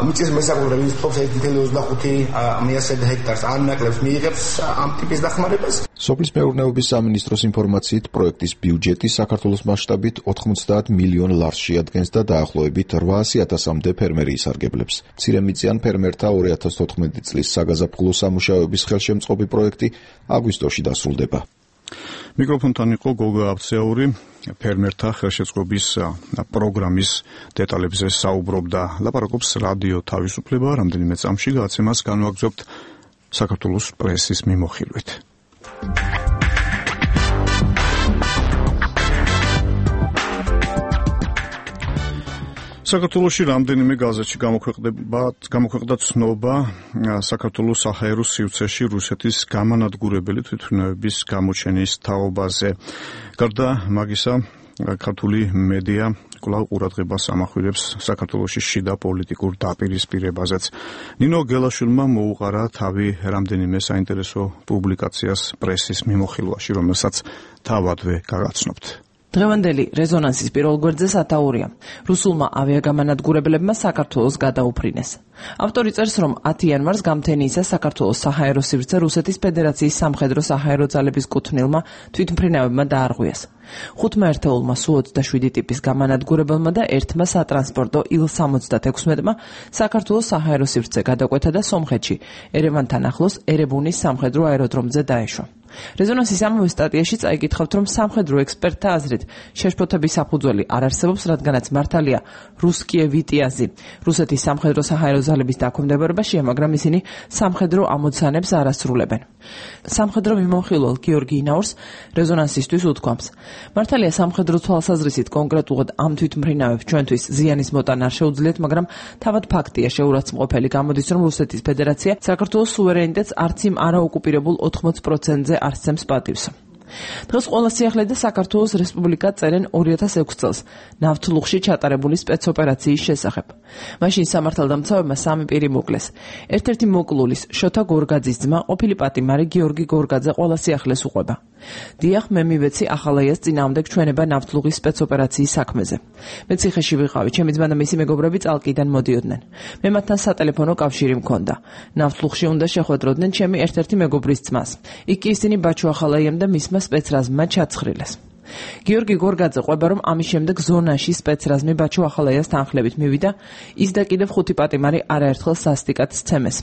მიწის მესაკუთრე, ვინც ფლობს 1.25 ჰექტარს ან ნაკლებს მიიღებს ამ ტიპის დახმარებას. სოფლის მეურნეობის სამინისტროს ინფორმაციით, პროექტის ბიუჯეტი საქართველოს მასშტაბით 90 მილიონ ლარს შეადგენს და დაახლოებით 800,000-მდე ფერმერი ისარგებლებს. მცირემიწიან ფერმერთა 2014 წლის საგაზაფხულო სამუშაოების ხელშემწყობი პროექტი აგვისტოში დასრულდება. მიკროფონთან იყო გოგა აბცეური, ფერმერთა ხელშეწყობის პროგრამის დეტალებზე საუბრობდა. ლაპარაკობს რადიო თავისუფლება, რამდენიმე წამში გადაცემას განვაგრძობთ საქართველოს პრესის მიმოხილვით. საქართველოში რამდენიმე გაზეთში გამოქვეყნდა ცნობა საქართველოს საჰაერო სივრცეში რუსეთის გამანადგურებელი თვითმფრინავების გამოჩენის თაობაზე. გარდა მაგისა, ქართული მედია კვლავ ყურადღებას ამახვილებს საქართველოში შიდა პოლიტიკურ დაპირისპირებაზეც. ნინო გელაშვილმა მოუყარა თავი რამდენიმე საინტერესო პუბლიკაციას პრესის მიმოხილვაში, რომელსაც თავადვე გაგაცნობთ. დღევანდელი რეზონანსის პირველ გვერდზე სათაურია. რუსულმა ავიაგამანადგურებლებმა საქართველოს გადაუფრინეს. ავტორი წერს, რომ 10 იანვარს გამთენიისა საქართველოს საჰაერო სივრცე რუსეთის ფედერაციის სამხედრო საჰაერო ძალების კუთვნილმა თვითმფრინავებმა დაარღვიეს. 5 ერთეულმა Su-27 ტიპის გამანადგურებელმა და ერთმა სატრანსპორტო Il-76-მა საქართველოს საჰაერო სივრცე გადაკვეთა და სომხეთში, ერევანთან ახლოს ერებუნის სამხედრო აეროდრომზე დაეშვა. რეზონანსის ამავე სტატიაში წაიკითხავთ, რომ სამხედრო ექსპერტთა აზრით შეშფოთების საფუძველი არ არსებობს, რადგანაც მართალია რუსკიე ვიტიაზი რუსეთის სამხედრო საჰაერო ძალების დაქვემდებარებაშია, მაგრამ ისინი სამხედრო ამოცანებს არ ასრულებენ. სამხედრო მიმოხილველ გიორგი ინაურს რეზონანსისთვის უთქვამს: მართალია სამხედრო თვალსაზრისით კონკრეტულად ამ თვითმფრინავებს ჩვენთვის ზიანის მოტანა არ შეუძლიათ, მაგრამ თავად ფაქტია შეურაცხმყოფელი, გამოდის, რომ რუსეთის ფედერაცია საქართველოს სუვერენიტეტს არც იმ არაოკუპირებულ 80%-ზე არსცემს პატივს. დღეს ყველა სიახლე და საქართველოს რესპუბლიკა წერენ 2006 წელს ნავთლუღში ჩატარებული სპეცოპერაციის შესახებ. მაშინ სამართალდამცავებმა სამი პირი მოკლეს. ერთ-ერთი მოკლულის შოთა გორგაძის ძმა, ყოფილი პატიმარი გიორგი გორგაძე ყველა სიახლეს უყვება. დიახ, მე მივეცი ახალაიას წინააღმდეგ ჩვენება ნავთლუღის სპეცოპერაციის საქმეზე. მე ციხეში ვიყავი, ჩემი ძმა და მისი მეგობრები წალკიდან მოდიოდნენ. მე მათთან სატელეფონო კავშირი მქონდა. ნავთლუღში უნდა შეხვედროდნენ ჩემი ერთ-ერთი მეგობრის ძმას. იქ კი ისინი ბაჩო ახალაიამ და მისმა სპეცრაზმმა ჩაცხრილეს. გიორგი გორგაძე ყვება, რომ ამის შემდეგ ზონაში სპეცრაზმი ბაჩო ახალაიას თანხლებით მივიდა, ის და კიდევ 5 პატიმარი არაერთხელ სასტიკად სცემეს.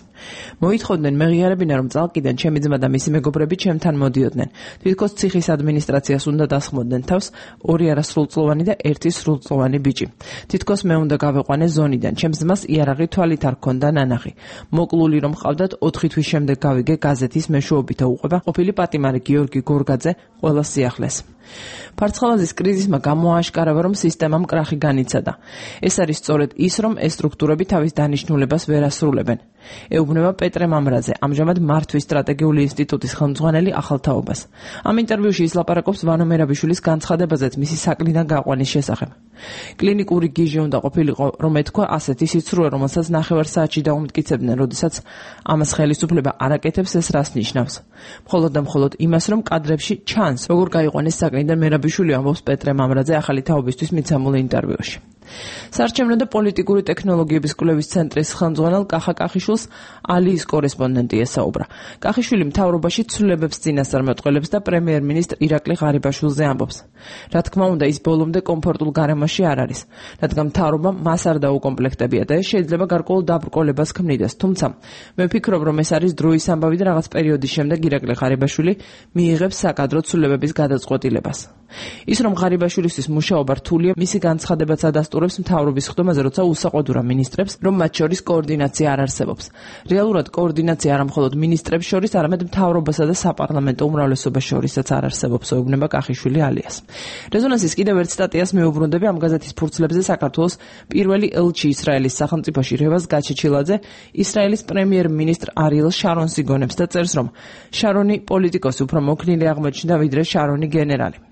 მოითხოვდნენ მეღიარებინა, რომ წალკიდან ჩემი ძმა და მისი მეგობრები ჩემთან მოდიოდნენ. თვითონ ციხის ადმინისტრაციას უნდა დასხმოდნენ თავს 2 არასრულწლოვანი და 1 სრულწლოვანი ბიჭი. თვითონ მე უნდა გავეყვანე ზონიდან. ჩემს ძმას იარაღი თვალით არ ჰქონდა ნანახი. მოკლული რომ ყავდათ 4 თვის შემდეგ გავიგე გაზეთის მეშვეობით უყვება ყოფილი პატიმარი გიორგი გორგაძე ყველა სიახლეს. ფარცხალაძის კრიზისმა გამოააშკარავა, რომ სისტემამ კრახი განიცადა. ეს არის სწორედ ის, რომ ეს სტრუქტურები თავის დანიშნულებას ვერ ასრულებენ. ეუბნება პეტრე მამრაძე, ამჟამად მართვის სტრატეგიული ინსტიტუტის ხელმძღვანელი ახალთაობას. ამ ინტერვიუში ის ლაპარაკობს ვანო მერაბიშვილის განცხადებაზეც მისი საკლიდან გაყვანის შესახებ. კლინიკური გიჟი უნდა ყოფილიყო, რომ ეთქვა ასეთი სიცრუე, რომელსაც 9 საათში დაუმტკიცებდნენ, როდესაც ამას ხელისუფლება არ აკეთებს, ეს რას ნიშნავს? მხოლოდ და მხოლოდ იმას, რომ კადრებში ჩანს, როგორ გაიყვანეს საკლიდან მერაბიშვილი, ამბობს პეტრე მამრაძე ახალი თაობისთვის მიცემულ ინტერვიუში. საარჩევნო და პოლიტიკური ტექნოლოგიების კვლევის ცენტრის ხელმძღვანელ კახა კახიშვილს ალიის კორესპონდენტი ესაუბრა. კახიშვილი მთავრობაში ცვლილებებს წინასწარმეტყველებს და პრემიერ-მინისტრ ირაკლი ღარიბაშვილზე ამბობს. რა თქმა უნდა, ის ბოლომდე კომფორტულ გარემოში არ არის, რადგან მთავრობა მას არ დაუკომპლექტებია და ეს შეიძლება გარკვეულ დაბრკოლებას ქმნიდეს. თუმცა, მე ვფიქრობ, რომ ეს არის დროის ამბავი და რაღაც პერიოდის შემდეგ ირაკლი ღარიბაშვილი მიიღებს საკადრო ცვლილებების გადაწყვეტილებას. ის რომ ღარიბაშვილისთვის მუშაობა რთულია, მისი განცხადებაც ადასტურებს მთავრობის ხდომაზე, როცა უსაყვედურა მინისტრებს, რომ მათ შორის კოორდინაცია არ არსებობს. რეალურად კოორდინაცია არა მხოლოდ მინისტრებს შორის, არამედ მთავრობასა და საპარლამენტო უმრავლესობას შორისაც არ არსებობს, ეუბნება კახიშვილი ალიას. რეზონანსის კიდევ ერთ სტატიას მეუბრუნდები ამ გაზეთის ფურცლებზე საქართველოს პირველი ელჩი ისრაელის სახელმწიფოში რევაზ გაჩეჩილაძე ისრაელის პრემიერ-მინისტრ არიელ შარონს იგონებს და წერს, რომ შარონი პოლიტიკოსი უფრო მოქნილი აღმოჩნდა, ვიდრე შარონი გენერალი.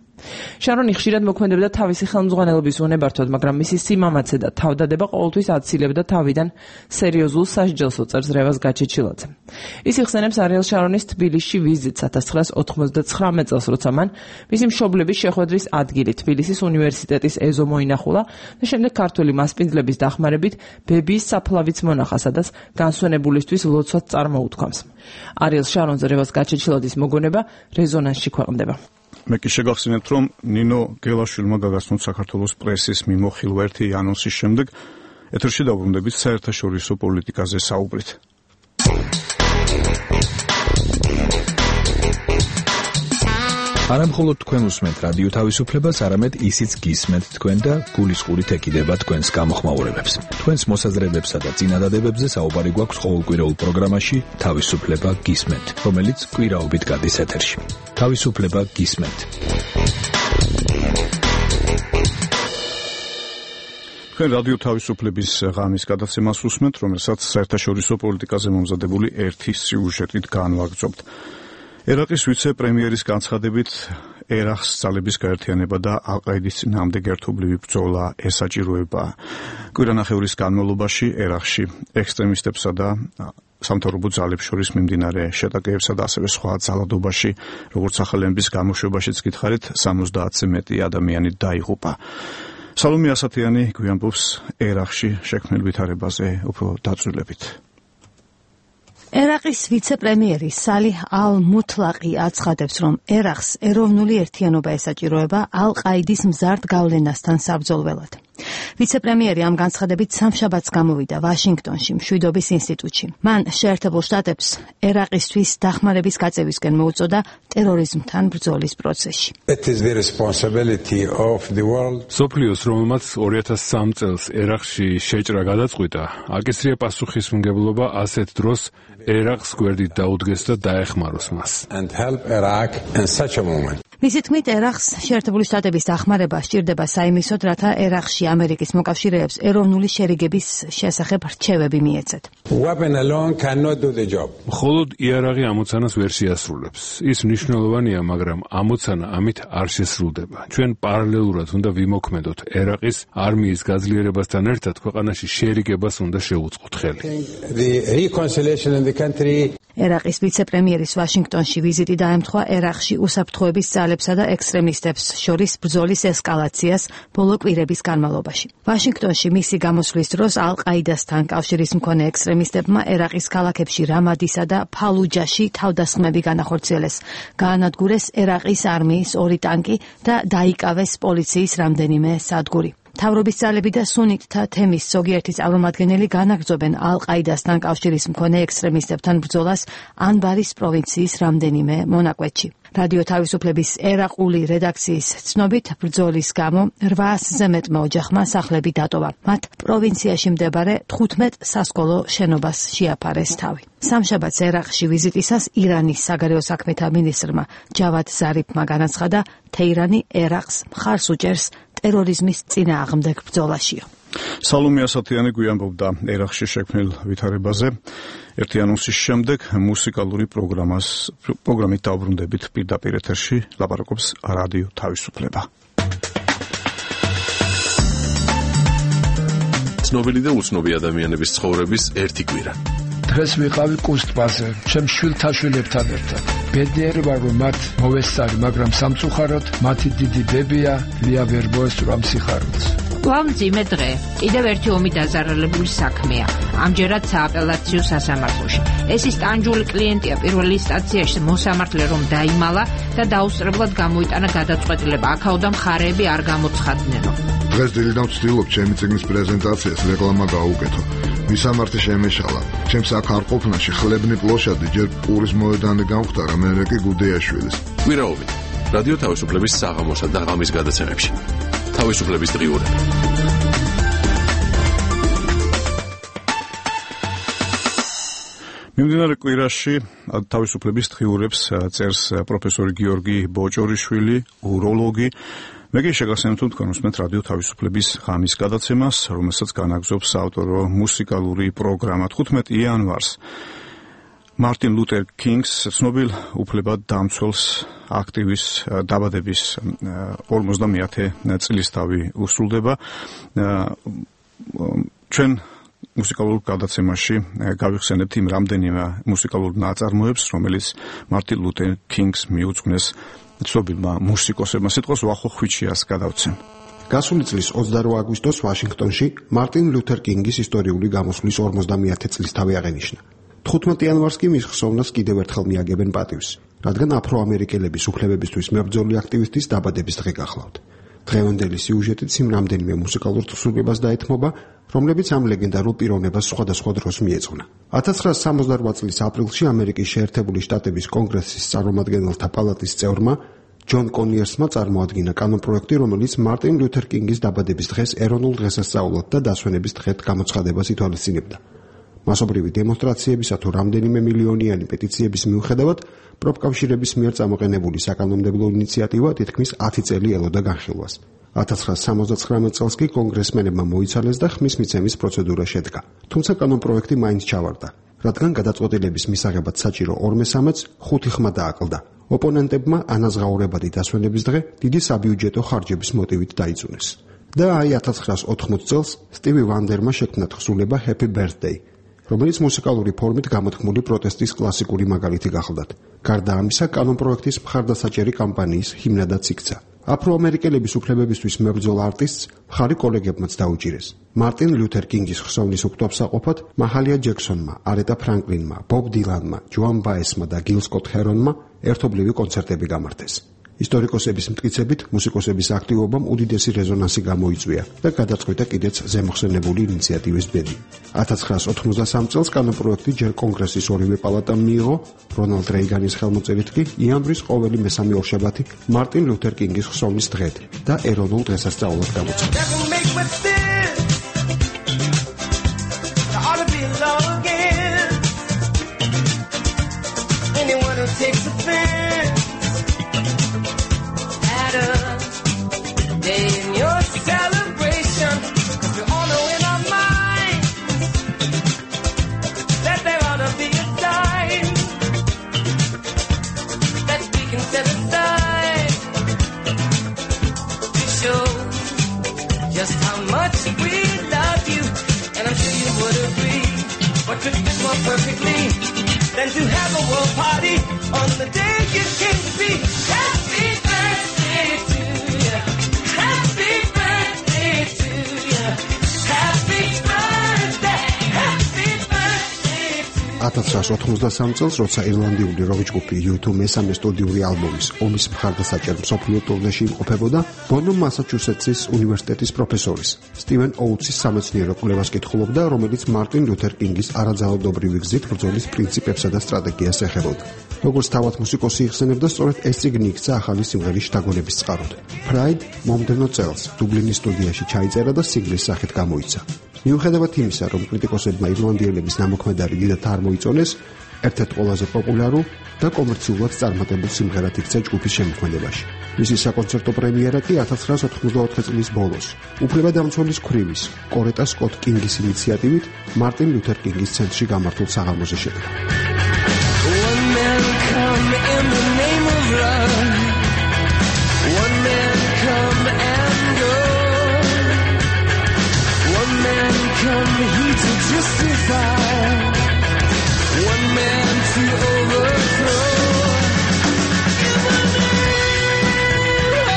შარონი ხშირად მოქმედებდა თავისი ხელმძღვანელობის უნებართვად, მაგრამ მისი სიმამაცე და თავდადება ყოველთვის აცილებდა თავიდან სერიოზულ სასჯელს, წერს რევაზ გაჩეჩილაძე. ის იხსენებს არიელ შარონის თბილისში ვიზიტს 1999 წელს, როცა მან მისი მშობლების შეხვედრის ადგილი თბილისის უნივერსიტეტის ეზო მოინახულა და შემდეგ ქართული მასპინძლების დახმარებით ბებიის საფლავიც მონახა, სადაც განსვენებულისთვის ლოცვაც წარმოუთქვამს. არიელ შარონზე რევაზ გაჩეჩილაძის მოგონება რეზონანსში ქვეყნდება. მე კი შეგახსენებთ, რომ ნინო გელაშვილმა გაგაცნოთ საქართველოს პრესის მიმოხილვა ერთი ანონსის შემდეგ ეთერში დავბრუნდებით საერთაშორისო პოლიტიკაზე საუბრით. არა მხოლოდ თქვენ უსმენთ რადიო თავისუფლებას, არამედ ისიც გისმენთ თქვენ და გულისყურით ეკიდება თქვენს გამოხმაურებებს. თქვენს მოსაზრებებსა და წინადადებებზე საუბარი გვაქვს ყოველკვირეულ პროგრამაში თავისუფლება გისმენთ, რომელიც კვირაობით გადის ეთერში. თავისუფლება გისმენთ. თქვენ რადიო თავისუფლების ღამის გადაცემას უსმენთ, რომელსაც საერთაშორისო პოლიტიკაზე მომზადებული ერთი სიუჟეტით განვაგრძობთ. ერაყის ვიცე-პრემიერის განცხადებით ერაყს ძალების გაერთიანება და ალ-ყაიდის წინააღმდეგ ერთობლივი ბრძოლა ესაჭიროება. კვირანახევრის განმავლობაში ერაყში ექსტრემისტებსა და სამთავრობო ძალებს შორის მიმდინარე შეტაკებებსა და ასევე სხვა ძალადობაში, როგორც ახალების გამოშვებაშიც გითხარით, 70-ზე მეტი ადამიანი დაიღუპა. სალომე ასათიანი გვიამბობს ერაყში შექმნილ ვითარებაზე უფრო დაწვრილებით. ერაყის ვიცე-პრემიერი სალი ალ-მუთლაყი აცხადებს, რომ ერაყს ეროვნული ერთიანობა ესაჭიროება ალ-ყაიდის მზარდ გავლენასთან საბრძოლველად. ვიცე-პრემიერი ამ განცხადებით სამშაბათს გამოვიდა ვაშინგტონში, მშვიდობის ინსტიტუტში. მან შეერთებულ შტატებს ერაყისთვის დახმარების გაწევისკენ მოუწოდა ტერორიზმთან ბრძოლის პროცესში. სოფლიოს, რომელმაც 2003 წელს ერაყში შეჭრა გადაწყვიტა, აკისრია პასუხისმგებლობა ასეთ დროს ერაყს გვერდით დაუდგეს და დაეხმაროს მას. მისი თქმით, ერაყს შეერთებული შტატების დახმარება სჭირდება საიმისოდ, რათა ერაყში ამერიკის მოკავშირეებს ეროვნული შერიგების შესახებ რჩევები მიეცეთ. მხოლოდ იარაღი ამოცანას ვერ შეასრულებს. ის მნიშვნელოვანია, მაგრამ ამოცანა ამით არ შესრულდება. ჩვენ პარალელურად უნდა ვიმოქმედოთ ერაყის არმიის გაძლიერებასთან ერთად ქვეყანაში შერიგებას უნდა შევუწყოთ ხელი. ერაყის ვიცე-პრემიერის ვაშინგტონში ვიზიტი დაემთხვა ერაყში უსაფრთხოების ძალებსა და ექსტრემისტებს შორის ბრძოლის ესკალაციას ბოლო კვირების განმავლობაში. ვაშინგტონში მისი გამოსვლის დროს ალ-ყაიდასთან კავშირის მქონე ექსტრემისტებმა ერაყის ქალაქებში რამადისა და ფალუჯაში თავდასხმები განახორციელეს. გაანადგურეს ერაყის არმიის 2 ტანკი და დაიკავეს პოლიციის რამდენიმე სადგური. მთავრობის ძალები და სუნიტთა თემის ზოგიერთი წარმომადგენელი განაგრძობენ ალ-ყაიდასთან კავშირის მქონე ექსტრემისტებთან ბრძოლას ანბარის პროვინციის რამდენიმე მონაკვეთში. რადიო თავისუფლების ერაყული რედაქციის ცნობით, ბრძოლის გამო 800-ზე მეტმა ოჯახმა სახლები დატოვა. მათ პროვინციაში მდებარე 15 სასკოლო შენობას შეაფარეს თავი. სამშაბათს ერაყში ვიზიტისას ირანის საგარეო საქმეთა მინისტრმა ჯავად ზარიფმა განაცხადა, თეირანი ერაყს მხარს უჭერს ტერორიზმის წინააღმდეგ ბრძოლაშიო. სალომე ასათიანი გვიამბობდა ერაყში შექმნილ ვითარებაზე. ერთი ანონსის შემდეგ მუსიკალური პროგრამით დავბრუნდებით პირდაპირ ეთერში, ლაპარაკობს რადიო თავისუფლება. ცნობილი და უცნობი ადამიანების ცხოვრების ერთი კვირა. დღეს ვიყავი კუსტბაზე, ჩემ შვილთა შვილებთან ერთად. ბედნიერი ვარ, რომ მათ მოვესწარი, მაგრამ სამწუხაროდ მათი დიდი ბებია ლია ვერ მოესწრო სიხარულს. მძიმე დღე. კიდევ ერთი ომი დაზარალებული საქმეა. ამჯერად სააპელაციო სასამართლოში. ეს ის ტანჯული კლიენტია პირველ ინსტანციაში მოსამართლე რომ დაიმალა და დაუსწრებლად გამოიტანა გადაწყვეტილება. აქაოდან მხარეები არ გამოცხადნენო. დღეს დილიდან ვცდილობ ჩემი წიგნის პრეზენტაციას რეკლამა გაუკეთო. მისამართი შემეშალა. ჩემს აქ არ ყოფნაში ხლებნი პლოშადი ჯერ პურის მოედანი გამختარა, მერე კი გუდეაშვილის. კვირაობით რადიო თავისუფლების საღამოსა და ღამის გადაცემებში. თავისუფლების დღიურები. მიმდინარე კვირაში თავისუფლების დღიურებს წერს პროფესორი გიორგი ბოჭორიშვილი, უროლოგი. მე კი შეგახსენებთ თქვენ უსმენთ რადიო თავისუფლების ღამის გადაცემას, რომელსაც განაგზობს საავტორო მუსიკალური პროგრამა 15 იანვარს. მარტინ ლუთერ კინგს ცნობილ უფლებადამცველს აქტივის დაბადების 50-ე წლისთავი უსრულდება. ჩვენ მუსიკალურ გადაცემაში გავიხსენებთ იმ რამდენიმე მუსიკალურ ნაწარმოებს, რომელიც მარტინ ლუთერ კინგს მიუძღვნეს ცნობილმა მუსიკოსებმა. სიტყვას უახო ხვიჩიას გადავცემ. გასული წლის 28 აგვისტოს ვაშინგტონში მარტინ ლუთერ კინგის ისტორიული გამოსვლის 50-ე წლისთავი აღენიშნა. 15 იანვარს კი მის ხსოვნას კიდევ ერთხელ მიაგებენ პატივს, რადგან აფრო-ამერიკელების უფლებებისთვის მებრძოლი აქტივისტის დაბადების დღე გახლავთ. დღევანდელი სიუჟეტით იმ რამდენიმე მუსიკალურ თხზულებას დაეთმობა, რომლებიც ამ ლეგენდარულ პიროვნებას სხვადასხვა დროს მიეძღვნა. 1968 წლის აპრილში ამერიკის შეერთებული შტატების კონგრესის წარმომადგენელთა პალატის წევრმა ჯონ კონიერსმა წარმოადგინა კანონპროექტი, რომელიც მარტინ ლუთერ კინგის დაბადების დღეს ეროვნულ დღესასწაულად და დასვენების დღედ გამოცხადებას ითვალისწინებდა. მასობრივი დემონსტრაციებისა თუ რამდენიმე მილიონიანი პეტიციების მიუხედავად, პროფკავშირების მიერ წამოყენებული საკანონმდებლო ინიციატივა თითქმის 10 წელი ელოდა განხილვას. 1979 წელს კი კონგრესმენებმა მოიცალეს და ხმის მიცემის პროცედურა შედგა. თუმცა კანონპროექტი მაინც ჩავარდა, რადგან გადაწყვეტილების მისაღებად საჭირო 2/3-ს 5 ხმა დააკლდა. ოპონენტებმა ანაზღაურებადი დასვენების დღე დიდი საბიუჯეტო ხარჯების მოტივით დაიწუნეს. და აი 1980 წელს სტივი ვანდერმა შექმნა თხზულება Happy Birthday, რომელიც მუსიკალური ფორმით გამოთქმული პროტესტის კლასიკური მაგალითი გახლდათ. გარდა ამისა, კანონპროექტის მხარდასაჭერი კამპანიის ჰიმნადაც იქცა. აფრო-ამერიკელების უფლებებისთვის მებრძოლ არტისტს მხარი კოლეგებმაც დაუჭირეს. მარტინ ლუთერ კინგის ხსოვნის უპტომსაყოფად მაჰალია ჯექსონმა, არეტა ფრანკლინმა, ბობ დილანმა, ჯოან ბაესმა და გილ სკოტ ჰერონმა ერთობლივი კონცერტები გამართეს. ისტორიკოსების მტკიცებით, მუსიკოსების აქტივობამ უდიდესი რეზონანსი გამოიწვია და გადაწყვიტა კიდეც ზემოხსენებული ინიციატივის ბედი. 1983 წელს კანონპროექტი ჯერ კონგრესის ორივე პალატამ მიიღო, რონალდ რეიგანის ხელმოწერით კი იანვრის ყოველი მესამე ორშაბათი მარტინ ლუთერ კინგის ხსოვნის დღედ და ეროვნულ დღესასწაულად გამოცხადდა. Perfectly than to have a world party on the day you came to be. Happy birthday to you. Happy birthday to you. Happy birthday. Happy birthday to you. 1983 წელს, როცა ირლანდიური როკ ჯგუფი U2 მესამე სტუდიური ალბომის ომის მხარდასაჭერ მსოფლიო ტურნეში იმყოფებოდა, ბონომ მასაჩუსეტსის უნივერსიტეტის პროფესორის სტივენ ოუთსის სამეცნიერო კვლევას კითხულობდა, რომელიც მარტინ ლუთერ კინგის არაძალადობრივი გზით ბრძოლის პრინციპებსა და სტრატეგიას ეხებოდა. როგორც თავად მუსიკოსი იხსენებდა, სწორედ ეს წიგნი იქცა ახალი სიმღერის შთაგონების წყაროდ. Pride მომდევნო წელს დუბლინის სტუდიაში ჩაიწერა და სინგლის სახით გამოიცა. მიუხედავად იმისა, რომ კრიტიკოსებმა ირლანდიელების ნამოქმედარი დიდად არ მოიწონეს, ერთ-ერთ ყველაზე პოპულარულ და კომერციულად წარმატებულ სიმღერად იქცა ჯგუფის შემოქმედებაში. მისი საკონცერტო პრემიერა კი 1984 წლის ბოლოს, უფლებადამცველის ქვრივის კორეტა სკოტ კინგის ინიციატივით მარტინ ლუთერ კინგის ცენტრში გამართულ საღამოზე შედგა. Come here to justify, one man to overthrow. In the name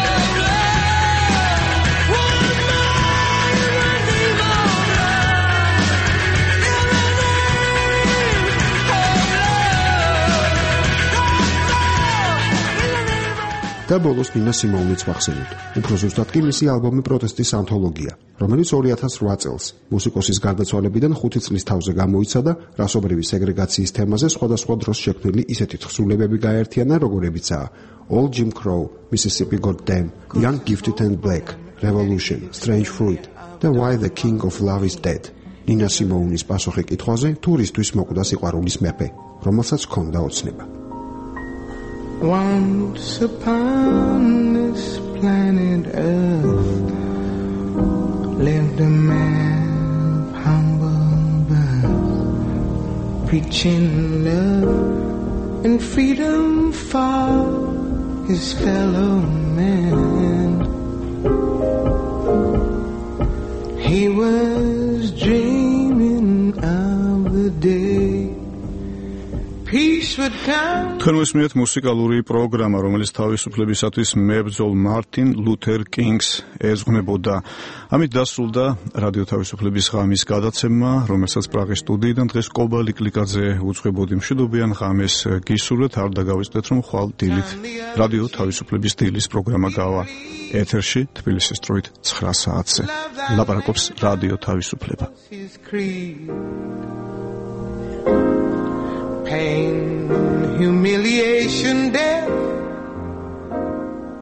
of love, one man in the name of love. In the name of love. და ბოლოს ნინა სიმოუნიც ვახსენოთ. უფრო ზუსტად კი მისი ალბომი პროტესტის ანთოლოგია, რომელიც 2008 წელს მუსიკოსის გარდაცვალებიდან 5 წლის თავზე გამოიცა და რასობრივი სეგრეგაციის თემაზე სხვადასხვა დროს შექმნილი ისეთი თხზულებები გააერთიანა, როგორებიცაა All Jim Crow, Mississippi Goddam, Young Gifted and Black, Revolution, Strange Fruit და Why the King of Love is Dead. ნინა სიმოუნის პასუხი კითხვაზე, თუ რისთვის მოკვდა სიყვარულის მეფე, რომელსაც ჰქონდა ოცნება. Once upon this planet Earth lived a man of humble birth, preaching love and freedom for his fellow man. He was dreaming of the day თქვენ მისმენთ მუსიკალური პროგრამა, რომელიც თავისუფლებისათვის მებრძოლ მარტინ ლუთერ კინგს ეძღვნებოდა. ამით დასრულდა რადიო თავისუფლების ღამის გადაცემა, რომელსაც პრაღის სტუდიიდან დღეს კობალი კლიკაძე უძღვებოდი. მშვიდობიან ღამეს გისურვებთ, არ დაგავიწყდეთ, რომ ხვალ დილით რადიო თავისუფლების დილის პროგრამა გავა ეთერში თბილისის დროით 9 საათზე. ლაპარაკობს რადიო თავისუფლება. Pain, humiliation, death